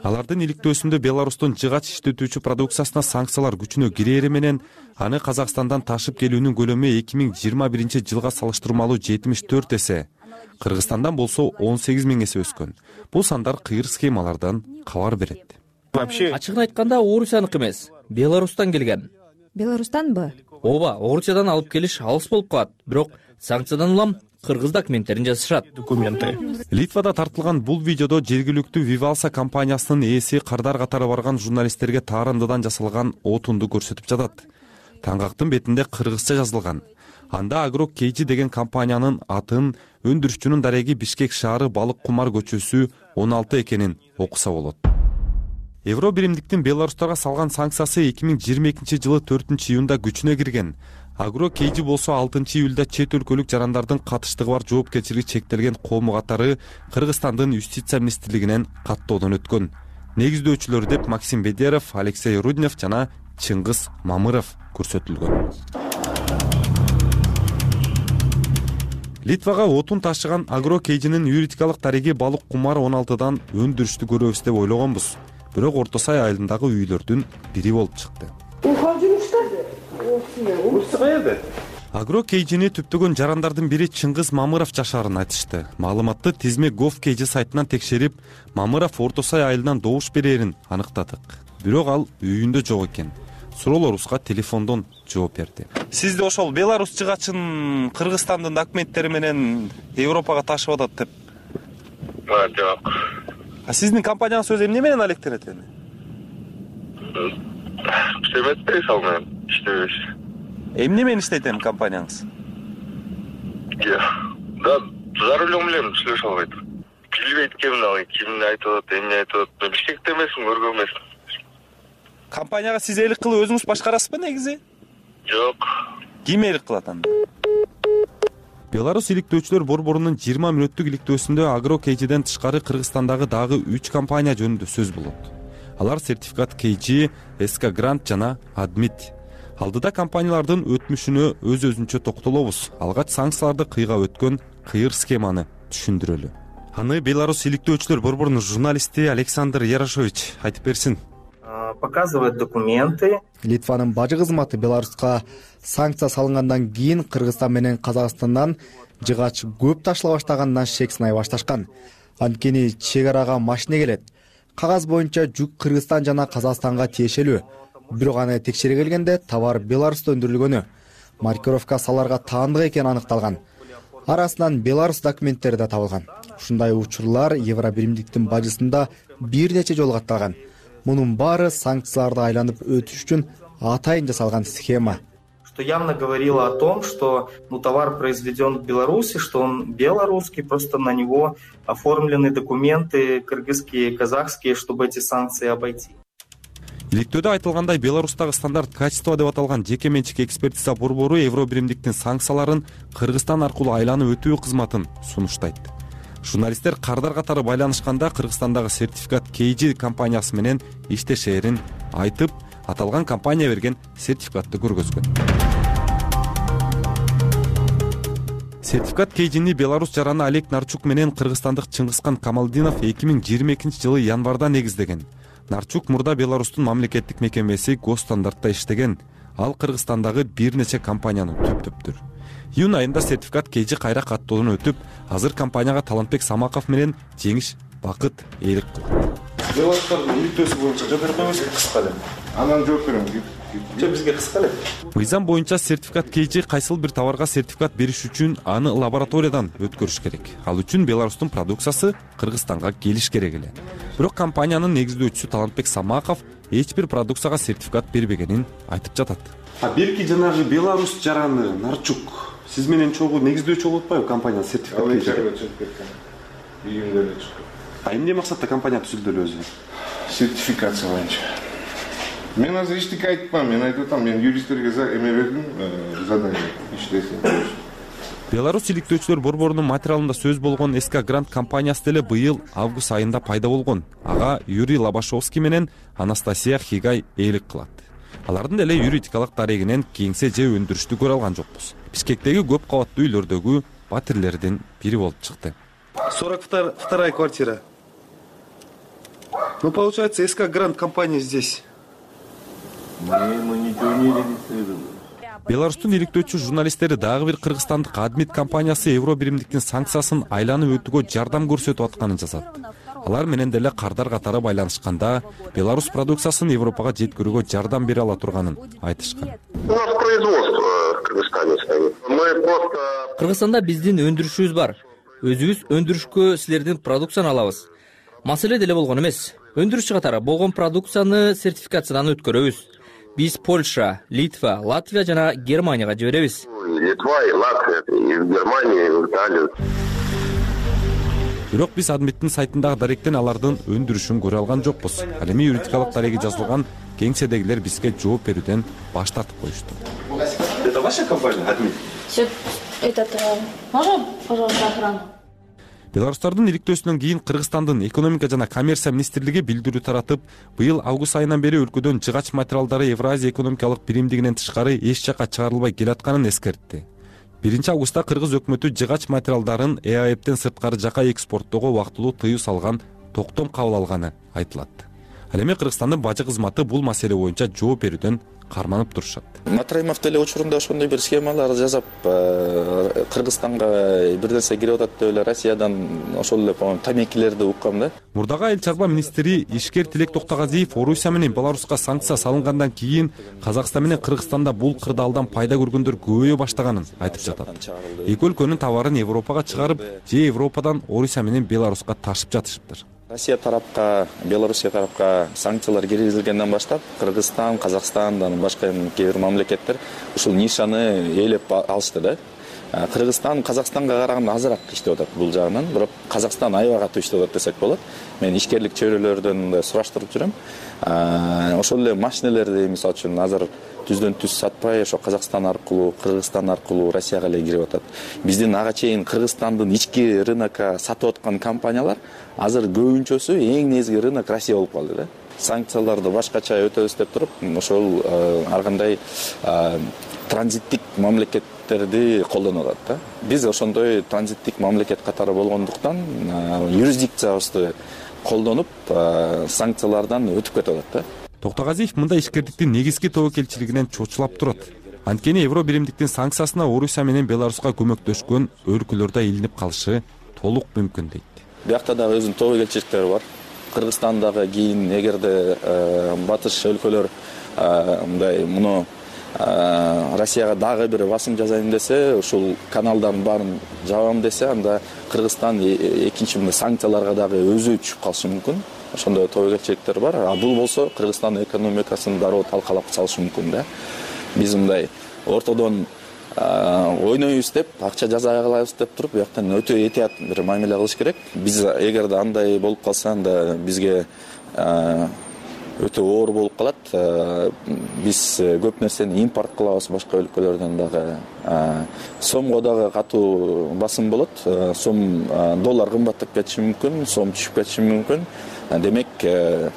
Алардын иликтөөсүндө Беларустун жыгач иштетүүчү продукциясына санкциялар күчүнө кирери менен аны Казакстандан ташып келүүнүн көлөмү эки миң жыйырма биринчи жылга салыштырмалуу жетимиш төрт эсе, Кыргызстандан болсо он сегиз миң эсе өскөн. Бул сандар кыйыр схемалардан кабар берет. Вообще ачыгын айтканда Орусияныкы эмес, Беларустан келген. Беларустанбы? Ооба, Орусиядан алып келиш алыс болуп калат, бирок санкциядан улам кыргыз документтерин жасашат. Документы. Литвада тартылган бул видеодо жергиликтүү Vivalsa компаниясынын ээси кардар катары барган журналисттерге таарындыдан жасалган отунду көрсөтүп жатат. Таңгактын бетинде кыргызча жазылган. Анда Agro Kg деген компаниянын атын, өндүрүшчүнүн дареги Бишкек шаары балык кумар көчөсү он алты экенин окуса болот. Евро биримдиктин Беларустарга салган санкциясы эки миң жыйырма экинчи жылы төртүнчү июнда күчүнө кирген. Agro Kg болсо алтынчы июлда чет өлкөлүк жарандардын катыштыгы бар жоопкерчилиги чектелген кому катары Кыргызстандын юстиция министрлигинен каттоодон өткөн. Негиздөөчүлөр деп Максим Бедеров, Алексей Руднев жана Чыңгыз Мамыров көрсөтүлгөн. Литвага отун ташыган Agro Kg'нин юридикалык дареги балык кумар он алтыдан өндүрүштү көрөбүз деп ойлогонбуз. Бирок Орто Сай айылындагы үйлөрдүн бири болуп чыкты. Agro Kg'ни түптөгөн жарандардын бири Чыңгыз Мамыров жашаарын айтышты. Маалыматты тизме gov.kg сайтынан текшерип, Мамыров Орто Сай айылынан добуш берерин аныктадык. Бирок ал үйүндө жок экен. Суроолорубузга телефондон жооп берди. Сизди ошол Беларусь жыгачын Кыргызстандын документтери менен Европага ташып атат деп. Жок. А сиздин компанияңыз өзү эмне менен алектенет эми? Иштебейт ал менен, иштебейт. Эмне менен иштейт эми компанияңыз? Да, за рулем элем сүйлөшө албайт. Билбейт ким ал, кимди айтып атат, эмне айтып атат. Бишкекте эмесмин, көргөн эмесмин. Компанияга сиз элик кылып өзүңүз башкарасызбы негизи? Жок. Ким элик кылат анда? Беларусь иликтөөчүлөр борборунун жыйырма мүнөттүк иликтөөсүндө Agro Kg'ден тышкары Кыргызстандагы дагы үч компания жөнүндө сөз болот. Алар сертификат Kg, эс ка Grant жана Admit. Алдыда компаниялардын өтмүшүнө өз өзүнчө токтолобуз. Алгач санкцияларды кыйгап өткөн кыйыр схеманы түшүндүрөлү. Аны Беларусь иликтөөчүлөр борборунун журналисти Александр Ярошович айтып берсин. Показывают документы. Литванын бажы кызматы Беларуска санкция салынгандан кийин Кыргызстан менен Казакстандан жыгач көп ташыла баштагандан шек сынай башташкан. Анткени чек арага машина келет. Кагаз боюнча жүк Кыргызстан жана Казакстанга тиешелүү. Бирок аны текшере келгенде товар Беларусьта өндүрүлгөнү, маркировка саларга таандык экени аныкталган. Арасынан Беларусь документтери да табылган. Ушундай учурлар Евро биримдиктин бажысында бир нече жолу катталган. Мунун баары санкцияларды айланып өтүш үчүн атайын жасалган схема. Что явно говорило о том, что ну, товар произведен в Беларуси, что он белорусский, просто на него оформлены документы кыргызские, казахские, чтобы эти санкции обойти. Иликтөөдө айтылгандай, Беларустагы стандарт качество деп аталган жеке менчик экспертиза борбору Евро биримдиктин санкцияларын Кыргызстан аркылуу айланып өтүү кызматын сунуштайт. Журналисттер кардар катары байланышканда Кыргызстандагы сертификат Kg компаниясы менен иштешээрин айтып, аталган компания берген сертификатты көргөзгөн. Сертификат Kg'ни Беларусь жараны Олег Нарчук менен кыргызстандык Чыңгызкан Камалдинов эки миң жыйырма экинчи жылы январда негиздеген. Нарчук мурда Беларустун мамлекеттик мекемеси Госстандартта иштеген. Ал Кыргызстандагы бир нече компаниянын түптөптүр. Июнь айында сертификат Kg кайра каттоодон өтүп, азыр компанияга Талантбек Самаков менен Жеңиш Бакыт ээлик кылды. Беларустардын иликтөөсү боюнча жооп бере койбойсузбу кыска эле? Анан жооп берем. Же бизге кыска эле. Мыйзам боюнча сертификат Kg кайсыл бир товарга сертификат бериш үчүн аны лабораториядан өткөрүш керек. Ал үчүн Беларустун продукциясы Кыргызстанга келиш керек эле. Бирок компаниянын негиздөөчүсү Талантбек Самаков эч бир продукцияга сертификат бербегенин айтып жатат. А берки жанагы Беларусь жараны Нарчук сиз менен чогуу негиздөөчү болуп атпайбы компания сертификат? Ал чыгып кеткен. Июнда эле чыкты. А эмне максатта компания түзүлдү эле өзү? Сертификация боюнча. Мен азыр эчтеке айтпам, мен айтып атам, мен юристтерге эме бердим, задание иштесин. Беларусь иликтөөчүлөр борборунун материалында сөз болгон эс ка Grant компаниясы деле быйыл август айында пайда болгон. Ага Юрий Лобашовский менен Анастасия Хигай ээлик кылат. Алардын деле юридикалык дарегинен кеңсе же өндүрүштү көрө алган жокпуз. Бишкектеги көп кабаттуу үйлөрдөгү батирлердин бири болуп чыкты. сорок вторая квартира. Ну, получается, эс ка Grant компания здесь. Мы ничего не регистрировали. Беларустун иликтөөчү журналисттери дагы бир кыргызстандык Admit компаниясы Евро биримдиктин санкциясын айланып өтүүгө жардам көрсөтүп атканын жазат. алар менен деле кардар катары байланышканда Беларусь продукциясын Европага жеткирүүгө жардам бере ала турганын айтышкан. У нас производство в Кыргызстане стоит. Мы просто... Кыргызстанда биздин өндүрүшүбүз бар. Өзүбүз өндүрүшкө силердин продукцияны алабыз. Маселе деле болгон эмес. Өндүрүшчү катары болгон продукцияны сертификациядан өткөрөбүз. Биз Польша, Литва, Латвия жана Германияга жиберебиз. Литва и Латвия, и в Германию, и в Италию. Бирок биз Адметтин сайтындагы даректен алардын өндүрүшүн көрө алган жокпуз. Ал эми юридикалык дареги жазылган кеңседегилер бизге жооп берүүдөн баш тартып коюшту. Это ваша компания, Адмет? Этот, можно, пожалуйста, охрану? Беларустардын иликтөөсүнөн кийин Кыргызстандын экономика жана коммерция министрлиги билдирүү таратып, быйыл август айынан бери өлкөдөн жыгач материалдары Евразия экономикалык биримдигинен тышкары эч жакка чыгарылбай келатканын эскертти. биринчи августта кыргыз өкмөтү жыгач материалдарын Э А Эптен сырткары жакка экспорттоого убактылуу тыюу салган токтом кабыл алганы айтылат. Ал эми Кыргызстандын бажы кызматы бул маселе боюнча жооп берүүдөн карманып турушат. Матраимов деле учурунда ошондой бир схемалар жасап, Кыргызстанга бир нерсе кирип атат деп эле Россиядан ошол эле тамекилерди уккам да. Мурдагы айыл чарба министри ишкер Тилек Токтогазиев Орусия менен Беларуска санкция салынгандан кийин Казакстан менен Кыргызстанда бул кырдаалдан пайда көргөндөр көбөйө баштаганын айтып жатат. Эки өлкөнүн товарын Европага чыгарып, же Европадан Орусия менен Беларуска ташып жатышыптыр. Россия тарапка, Белоруссия тарапка санкциялар киргизилгенден баштап, Кыргызстан, Казакстан, башка кээ бир мамлекеттер ушул нишаны ээлеп алышты да. Кыргызстан Казакстанга караганда азыраак иштеп атат бул жагынан, бирок Казакстан аябай катуу иштеп атат десек болот. Мен ишкерлик чөйрөлөрдөн сураштырып жүрөм. Ошол эле машинелерди мисалы үчүн азыр түздөн түз сатпай, ошо Казакстан аркылуу, Кыргызстан аркылуу Россияга эле кирип атат. Биздин ага чейин Кыргызстандын ички рынокко сатып аткан компаниялар азыр көбүнчөсү эң негизги рынок Россия болуп калды да. Санкцияларды башкача өтөбүз деп туруп, ошол ар кандай транзиттик мамлекеттерди колдонуп атат да. Биз ошондой транзиттик мамлекет катары болгондуктан юрисдикциябызды колдонуп санкциялардан өтүп кетип атат да. Токтогазиев мындай ишкердиктин негизги тобокелчилигинен чочулап турат. Анткени Евро биримдиктин санкциясына Орусия менен Беларуска көмөктөшкөн өлкөлөр да илинип калышы толук мүмкүн дейт. Биякта дагы өзүнүн тобокелчиликтери бар. Кыргызстандагы кийин эгерде батыш өлкөлөр мындай муну Россияга дагы бир басым жасайм десе, ушул каналдардын баарын жабам десе, анда Кыргызстан экинчи мындай санкцияларга дагы өзү түшүп калышы мүмкүн. Ошондой тобокелчиликтер бар. А бул болсо Кыргызстандын экономикасын дароо талкалап салышы мүмкүн да. Биз мындай ортодон ойнойбуз деп, акча жаза кылабыз деп туруп, бияктан өтө этият бир мамиле кылыш керек. Биз эгерде андай болуп калса, анда бизге өтө оор болуп калат. Биз көп нерсени импорт кылабыз башка өлкөлөрдөн дагы. Сомго дагы катуу басым болот. Сом доллар кымбаттап кетиши мүмкүн, сом түшүп кетиши мүмкүн. Демек,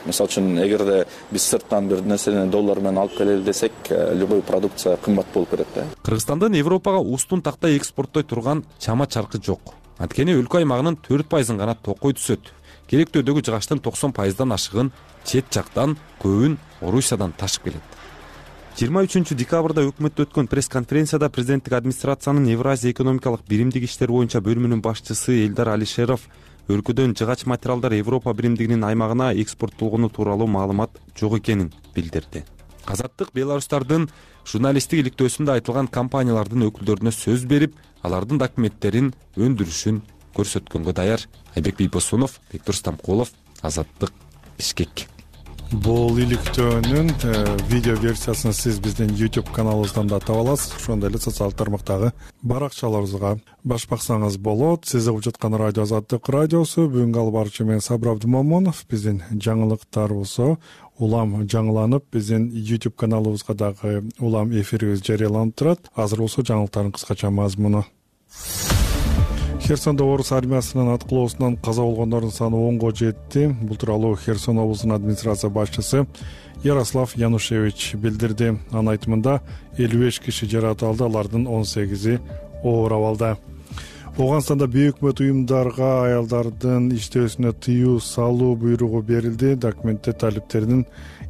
мисалы үчүн, эгерде биз сырттан бир нерсени доллар менен алып келели десек, любой продукция кымбат болуп кетет да. Кыргызстандын Европага устун тактай экспорттой турган чама чаркы жок. Анткени өлкө аймагынын төрт пайызын гана токой түсөт. Керектөөдөгү жыгачтын токсон пайыздан ашыгын чет жактан, көбүн Орусиядан ташып келет. жыйырма үчүнчү декабрда өкмөттө өткөн пресс-конференцияда президенттик администрациянын Евразия экономикалык биримдик иштери боюнча бөлүмүнүн башчысы Элдар Алишеров өлкөдөн жыгач материалдар Европа биримдигинин аймагына экспорттолгону тууралуу маалымат жок экенин билдирди. Азаттык Беларустардын журналисттик иликтөөсүндө айтылган компаниялардын өкүлдөрүнө сөз берип, алардын документтерин, өндүрүшүн көрсөткөнгө даяр. Айбек Бийбосунов, Бектур Стамкулов, Азаттык, Бишкек. Бул иликтөөнүн видео версиясын сиз биздин YouTube каналыбыздан да таба аласыз. Ошондой эле социалдык тармактагы баракчаларыбызга баш баксаңыз болот. Сиз угуп жаткан радио Азаттык радиосу. Бүгүнкү алып баруучу мен Сабыр Абдымомунов. Биздин жаңылыктарыбызды улам жаңыланып, биздин YouTube каналыбызга дагы улам эфирибиз жарыяланып турат. Азыр болсо жаңылыктардын кыскача мазмуну. Херсонда орус армиясынын аткылоосунан каза болгондордун саны онго жетти. Бул тууралуу Херсон облусунун администрация башчысы Ярослав Янушевич билдирди. Анын айтымында элүү беш киши жаракат алды, алардын он сегизи оор абалда. Ооганстанда бейөкмөт уюмдарга аялдардын иштөөсүнө тыюу салуу буйругу берилди. Документте талиптердин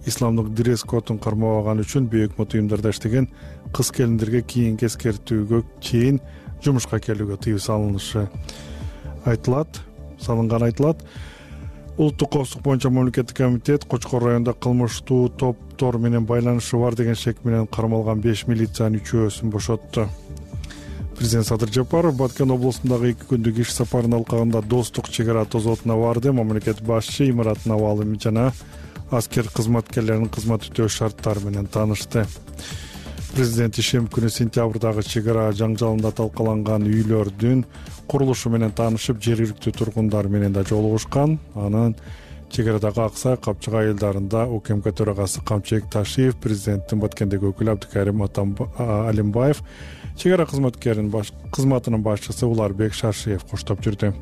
исламдык дресс-кодун кармабаганы үчүн бейөкмөт уюмдарда иштеген кыз-келиндерге кийинки эскертүүгө чейин жумушка келүүгө тыюу салынышы айтылат, салынган айтылат. Улуттук коопсуздук боюнча мамлекеттик комитет Кочкор районунда кылмыштуу топтор менен байланышы бар деген шек менен кармалган беш милициянын үчөөсүн бошотту. Президент Садыр Жапаров Баткен облусундагы эки күндүк иш сапарынын алкагында Достук чек ара тозотуна барды. Мамлекет башчы имараттын абалы жана аскер кызматкерлеринин кызмат өтөө шарттары менен таанышты. Президент ишем күнү сентябрдагы чек ара жаңжалында талкаланган үйлөрдүн курулушу менен таанышып, жергиликтүү тургундар менен да жолугушкан. Анан чек арадагы Аксай, Капчыгай айылдарында УКМК төрагасы Камчыбек Ташиев, президенттин Баткендеги өкүлү Абдыкарим Алимбаев, чек ара кызматкеринин кызматынын башчысы Уларбек Шашиев коштоп жүрдү.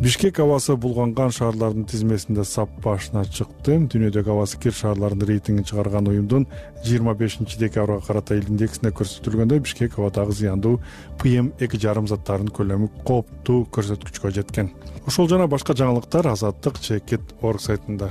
Бишкек абасы булганган шаарлардын тизмесинде сап башына чыкты. Дүйнөдөгү абасы кир шаарларынын рейтингин чыгарган уюмдун жыйырма бешинчи декабрга карата эл индексине көрсөтүлгөндө Бишкек абадагы зыяндуу пи эм эки жарым заттарынын көлөмү кооптуу көрсөткүчкө жеткен. Ошол жана башка жаңылыктар Азаттык чекит орг сайтында.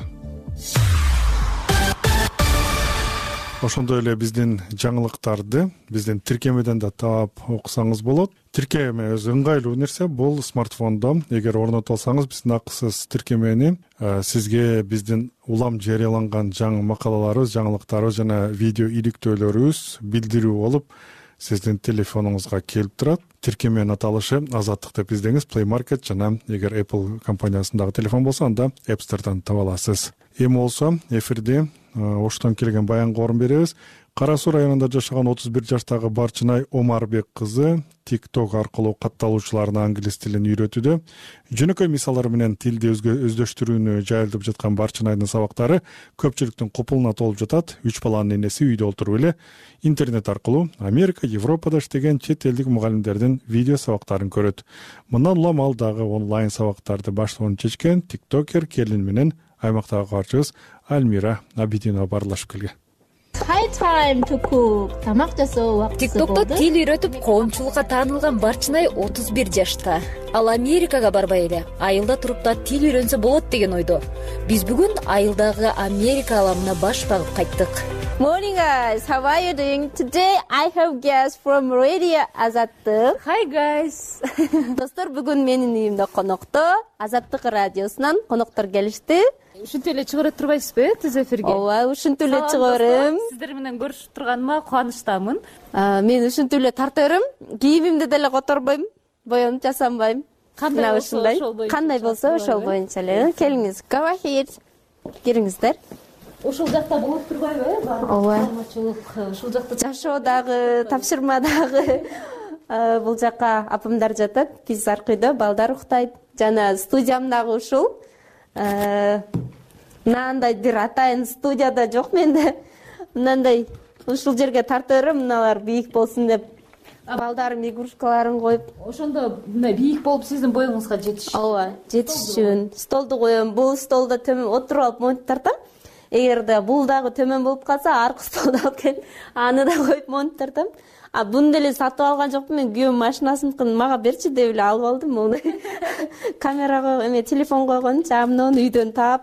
Ошондой эле биздин жаңылыктарды биздин тиркемеден да таап окусаңыз болот. Тиркеме өзү ыңгайлуу нерсе, бул смартфондо эгер орнотуп алсаңыз биздин акысыз тиркемени сизге биздин улам жарыяланган жаңы макалаларыбыз, жаңылыктарыбыз жана видео иликтөөлөрүбүз билдирүү болуп сиздин телефонуңузга келип турат. Тиркеменин аталышы Азаттык деп издеңиз, Play Market жана эгер Apple компаниясындагы телефон болсо анда App Store'дан таба аласыз. Эми болсо эфирде Оштон келген баянга орун беребиз. Кара Суу районунда жашаган отуз бир жаштагы Барчынай Омарбек кызы TikTok аркылуу катталуучуларына англис тилин үйрөтүүдө. Жөнөкөй мисалдар менен тилди өздөштүрүүнү жайылтып жаткан Барчынайдын сабактары көпчүлүктүн копулуна толуп жатат. Үч баланын энеси үйдө отуруп эле интернет аркылуу Америка, Европада иштеген чет элдик мугалимдердин видео сабактарын көрөт. Мындан улам ал дагы онлайн сабактарды баштоонун чечкен тиктокер келин менен аймактагы каарчыбыз Альмира Абидинова баарлашып келген. Тамак жасоо убакыты болду. TikTok'то тил үйрөтүп коомчулукка таанылган Барчынай отуз бир жашта. Ал Америкага барбай эле айылда туруп да тил үйрөнсө болот деген ойдо. Биз бүгүн айылдагы Америка аламына баш багып кайттык. Morning guys, how are you doing? Today I have guests from Radio Азаттык. Hi guys. Достор, бүгүн менин үйүмдө конокто Азаттык радиосунан коноктор келишти. Ушинтип эле чыгарып турбайсызбы түз эфирге? Ооба, ушинтип эле чыгарам. Сиздер менен көрүшүп турганыма кубанычтамын. Мен ушинтип эле тартырым. Кийимимди деле которбойм, боёнуп жасанбайм. Кандай болсо ошол боюнча. Кандай болсо ошол боюнча эле. Келиңиз, go ahead. Кириңиздер. Ошол жакта болуп турбайбы? Ооба. Ушул жакта жашоодагы, тапшырмадагы бул жака апамдар жатат. Биз аркыйда балдар уктайт. Жана студиям дагы ушул. Мынандай бир атайын студияда жок менде. Мынандай ушул жерге тартырым, мыналар бийик болсун деп. Балдарым игрушкаларын коюп. Ошондо мындай бийик болуп сиздин боюңузга жетиш. Ооба, жетиш үчүн столду коем. Бул столдо төмөн отуруп алып монтип тартам. Эгерде бул дагы төмөн болуп калса, аркы столду алып келип, аны да коюп монтип тартам. А буну деле сатып алган жокмун, мен күйөөм машинасыныкын мага берчи деп эле алып алдым. Муну камерага эме телефон койгон, жамнон үйдөн таап,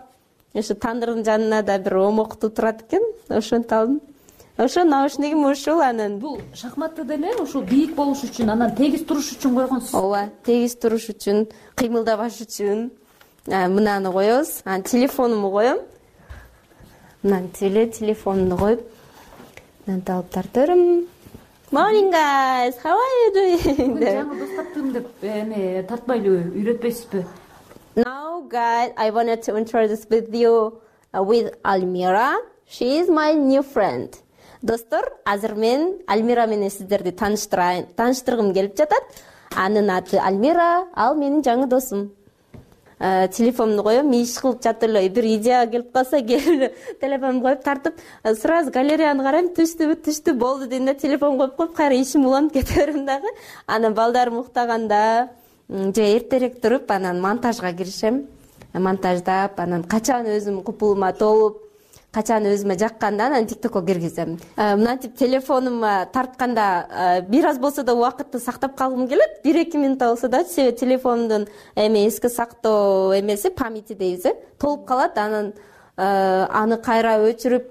ошо тандырдын жанына да бир омокту турат экен, ошентип алдым. Ошо наушнигим ушул, анан бул шахматты деле ушул бийик болуш үчүн, анан тегиз туруш үчүн койгонсуз. Ооба, тегиз туруш үчүн, кыймылдабаш үчүн. Мынаны коебуз, анан телефонумду коем. Мынан теле телефонду коюп, мынан алып тартырым. Morning guys, how are you doing? Жаңы дос таптым деп эме тартпайлы үйрөтпөйсүзбү? Now guys, I wanted to introduce with you uh, with Almira. She is my new friend. Достор, азыр мен Альмира менен сиздерди тааныштырайын, тааныштыргым келип жатат. Анын аты Альмира, ал менин жаңы досум. Телефонду коем, иш кылып жатып эле бир идея келип калса, келип телефонду коюп тартып, сразу галереяны карайм, түштүбү, түштү, болду дейм да, телефон коюп коюп, кайра ишим уланып кете берем дагы. Анан балдарым уктаганда же эртерээк туруп, анан монтажга киришем. Монтаждап, анан качан өзүм купулума толуп, качан өзүмө жакканда анан TikTokко киргизем. Мынантип телефонума тартканда бир аз болсо да убакытты сактап калгым келет. бир эки минут болсо да, себеби телефондун эме эске сактоо эмеси, памяти дейбиз, толуп калат. Анан аны кайра өчүрүп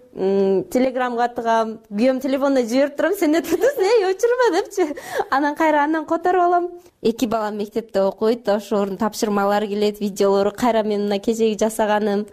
телеграмга тыгам, күйөөм телефонуна жиберип турам, сен не турдуң, эй өчүрбө депчи. Анан кайра андан которуп алам. Эки балам мектепте окуйт, ошонун тапшырмалары келет, видеолору кайра мен мына кечеги жасаганым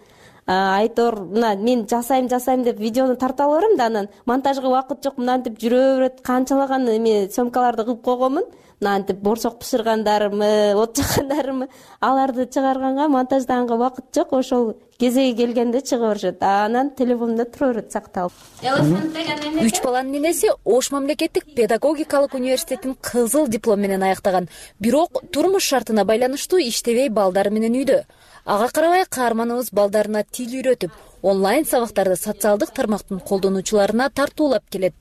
айтор, мына мен жасайм жасайм деп видеону тарта алам да, анан монтажга убакыт жок, мынантип жүрө берет, канчалаган эме сөмкаларды кылып койгонмун. Мынантип борсок бышыргандарымы, от жаккандарымы, аларды чыгарганга, монтаждаганга убакыт жок. Ошол кезеги келгенде чыга беришет. Анан телефонумда тура берет сакталып. Үч баланын энеси Ош мамлекеттик педагогикалык университетин кызыл диплом менен аяктаган. Бирок турмуш шартына байланыштуу иштебей балдары менен үйдө. Ага карабай каарманыбыз балдарына тил үйрөтүп, онлайн сабактарды социалдык тармактын колдонуучуларына тартуулап келет.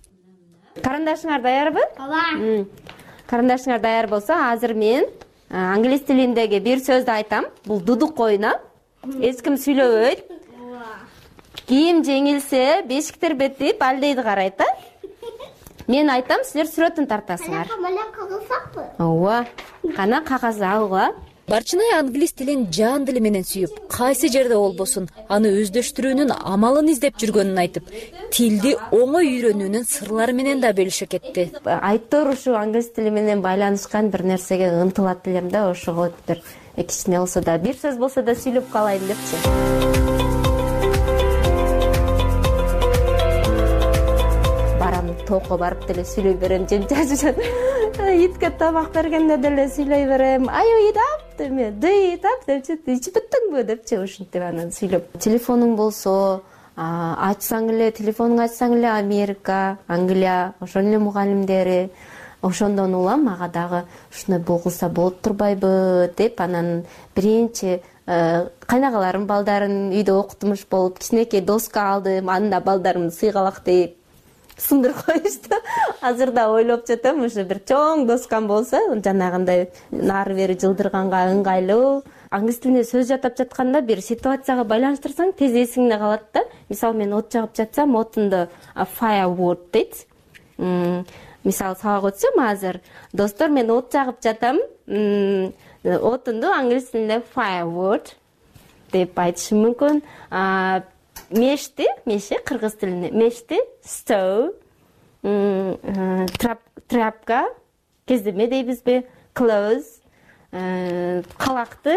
Карандашыңар даярбы? Ооба. Карандашыңар даяр болсо, азыр мен англис тилиндеги бир сөздү айтам. Бул дудук ойуна. Эч ким сүйлөбөйт. Ким жеңилсе, бешиктер бетип алдейди карайт да. Мен айтам, силер сүрөтүн тартасыңар. Кана кагаз алсакпы? Ооба. Кана кагаз алгыла. Барчынай англис тилин жан дили менен сүйүп, кайсы жерде болбосун, аны өздөштүрүүнүн амалын издеп жүргөнүн айтып, тилди оңой үйрөнүүнүн сырлары менен да бөлүшө кетти. Айтор ушу англис тили менен байланышкан бир нерсеге ынтылат элем да, ошого бир кичине болсо да, бир сөз болсо да сүйлөп калайын депчи. Барам тоокко барып деле сүйлөй берем, жемчажып. Итке тамак бергенде деле сүйлөй берем. Ай уйдап деме, дыйтап депчи, ичип бүттүңбү депчи, ушинтип анан сүйлөп. Телефонуң болсо, ачсаң эле, телефонуңду ачсаң эле Америка, Англия, ошол эле мугалимдери, ошондон улам ага дагы ушуну болгулса болот турбайбы деп, анан биринчи кайнагаларым балдарын үйдө окутмуш болуп, кичинекей доска алдым, анда балдарымды сыйгалак деп сындырып коюшту. Азыр да ойлоп жатам, ушу бир чоң доскам болсо, жанагындай нары бери жылдырганга ыңгайлуу. Англис тилинде сөз жатап жатканда бир ситуацияга байланыштырсаң, тез эсиңде калат да. Мисалы, мен от жагып жатсам, отунду firewood дейт. Мисалы, сабак өтсөм азыр, достор, мен от жагып жатам, отунду англис тилинде firewood деп айтышым мүмкүн. Мешти, меше кыргыз тилинде, мешти stove, тряпка, кездеме дейбизби, clothes, калакты,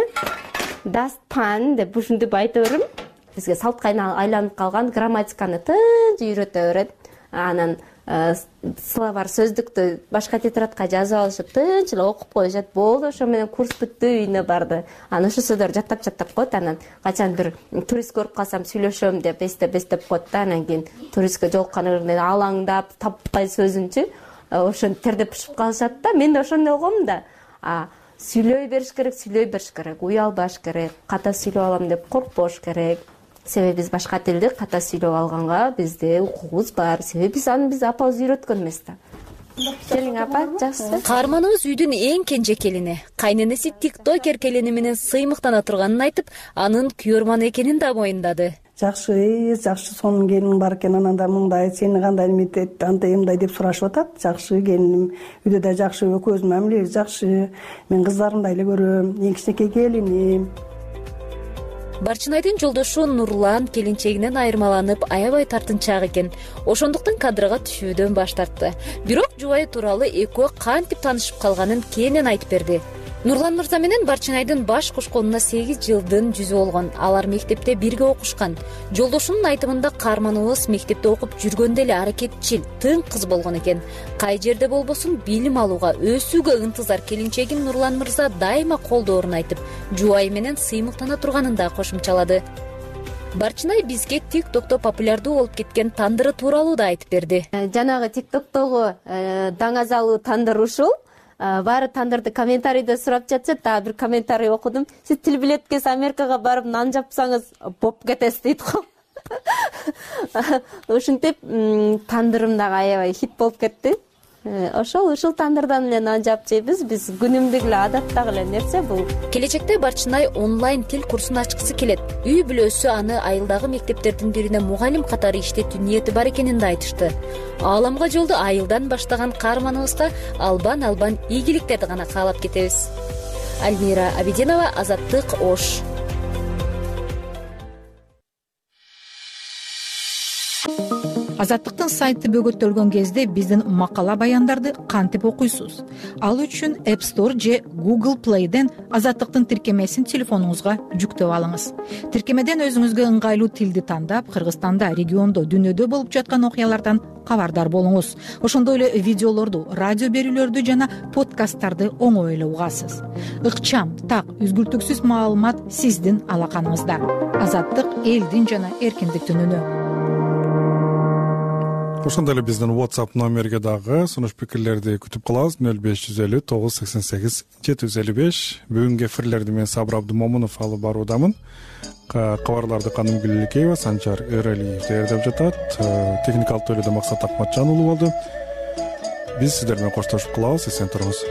dustpan деп ушинтип айта берем. Бизге салтка айланып калган грамматиканы тынч үйрөтө берет. Анан словарь сөздүктү башка тетрадка жазып алышып, тынч эле окуп коюшат. Болду, ошо менен курс бүттү, үйүнө барды. Анан ошо сөздөрдү жаттап-жаттап коет. Анан качан бир турист көрүп калсам сүйлөшөм деп эстеп-эстеп коет да. Анан кийин туристке жолуккан алаңдап, таппай сөзүнчү, ошону тердеп бышып калышат да. Мен да ошондой болгом да. Сүйлөй бериш керек, сүйлөй бериш керек, уялбаш керек, ката сүйлөп алам деп коркпош керек. Себеби биз башка тилди ката сүйлөп алганга бизде укугубуз бар. Себеби биз аны биз апабыз үйрөткөн эмес да. Келиң апа, жакшы. Каарманыбыз үйдүн эң кенже келини. Кайненеси тиктокер келини менен сыймыктана турганын айтып, анын күйөрман экенин да моюндады. Жакшы, жакшы, сонун келиниң бар экен, анан да мындай, сени кандай эметет, андай мындай деп сурашып атат. Жакшы келиним, үйдө да жакшы, экөөбүздүн мамилебиз жакшы. Мен кыздарымды эле көрөм, эң кичинекей келиним. Барчынайдын жолдошу Нурлан келинчегинен айырмаланып аябай тартынчаак экен. Ошондуктан кадрга түшүүдөн баш тартты. Бирок жубайы тууралуу экөө кантип таанышып калганын кенен айтып берди. Нурлан мырза менен Барчынайдын баш кошконуна сегиз жылдын жүзү болгон. Алар мектепте бирге окушкан. Жолдошунун айтымында каарманыбыз мектепте окуп жүргөндө эле аракетчил, тың кыз болгон экен. Кай жерде болбосун билим алууга, өсүүгө ынтызар келинчегин Нурлан мырза дайыма колдоорун айтып, жубайы менен сыймыктана турганын да кошумчалады. Барчынай бизге тиктокто популярдуу болуп кеткен тандыры тууралуу да айтып берди. Жанагы тиктоктогу даңазалуу тандыр ушул. Баары тандырды комментарийде сурап жатышат. Дагы бир комментарий окудум. Сиз тил билет экенсиз, Америкага барып нан жапсаңыз боп кетесиз дейт го. Ушинтип тандырым дагы аябай хит болуп кетти. Ошол ушул тандырдан эле нан жаап жейбиз. Биз күнүмдүк эле адаттагы эле нерсе бул. Келечекте Барчынай онлайн тил курсун ачкысы келет. Үй бүлөсү аны айылдагы мектептердин бирине мугалим катары иштетүү ниети бар экенин да айтышты. Ааламга жолду айылдан баштаган каарманыбызга албан-албан ийгиликтерди гана каалап кетебиз. Альмира Абидинова, Азаттык, Ош. Азаттыктын сайты бөгөттөлгөн кезде биздин макала баяндарды кантип окуйсуз? Ал үчүн App Store же Google Play'ден Азаттыктын тиркемесин телефонуңузга жүктөп алыңыз. Тиркемеден өзүңүзгө ыңгайлуу тилди тандап, Кыргызстанда, региондо, дүнүйдө болуп жаткан окуялардан кабардар болуңуз. Ошондой эле видеолорду, радио берүүлөрдү жана подкасттарды оңой эле угасыз. Ыкчам, так, үзгүлтүксүз маалымат сиздин алаканыңызда. Азаттык элдин жана эркиндиктин үнү. Ошондой эле биздин WhatsApp номерге дагы сунуш пикирлерди күтүп калабыз. нөл беш жүз элүү тогуз сексен сегиз жети жүз элүү беш. Бүгүнкү эфирлерди мен Сабыр Абдымомунов алып баруудамын. Кабарларды Канымгүл Элекеева, Санчар Эралиев даярдап жатат. Техникалык тойлоодо Максат Акматжан уулу болду. Биз сиздер менен коштошуп калабыз. Эсен туруңуз.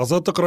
Азаттык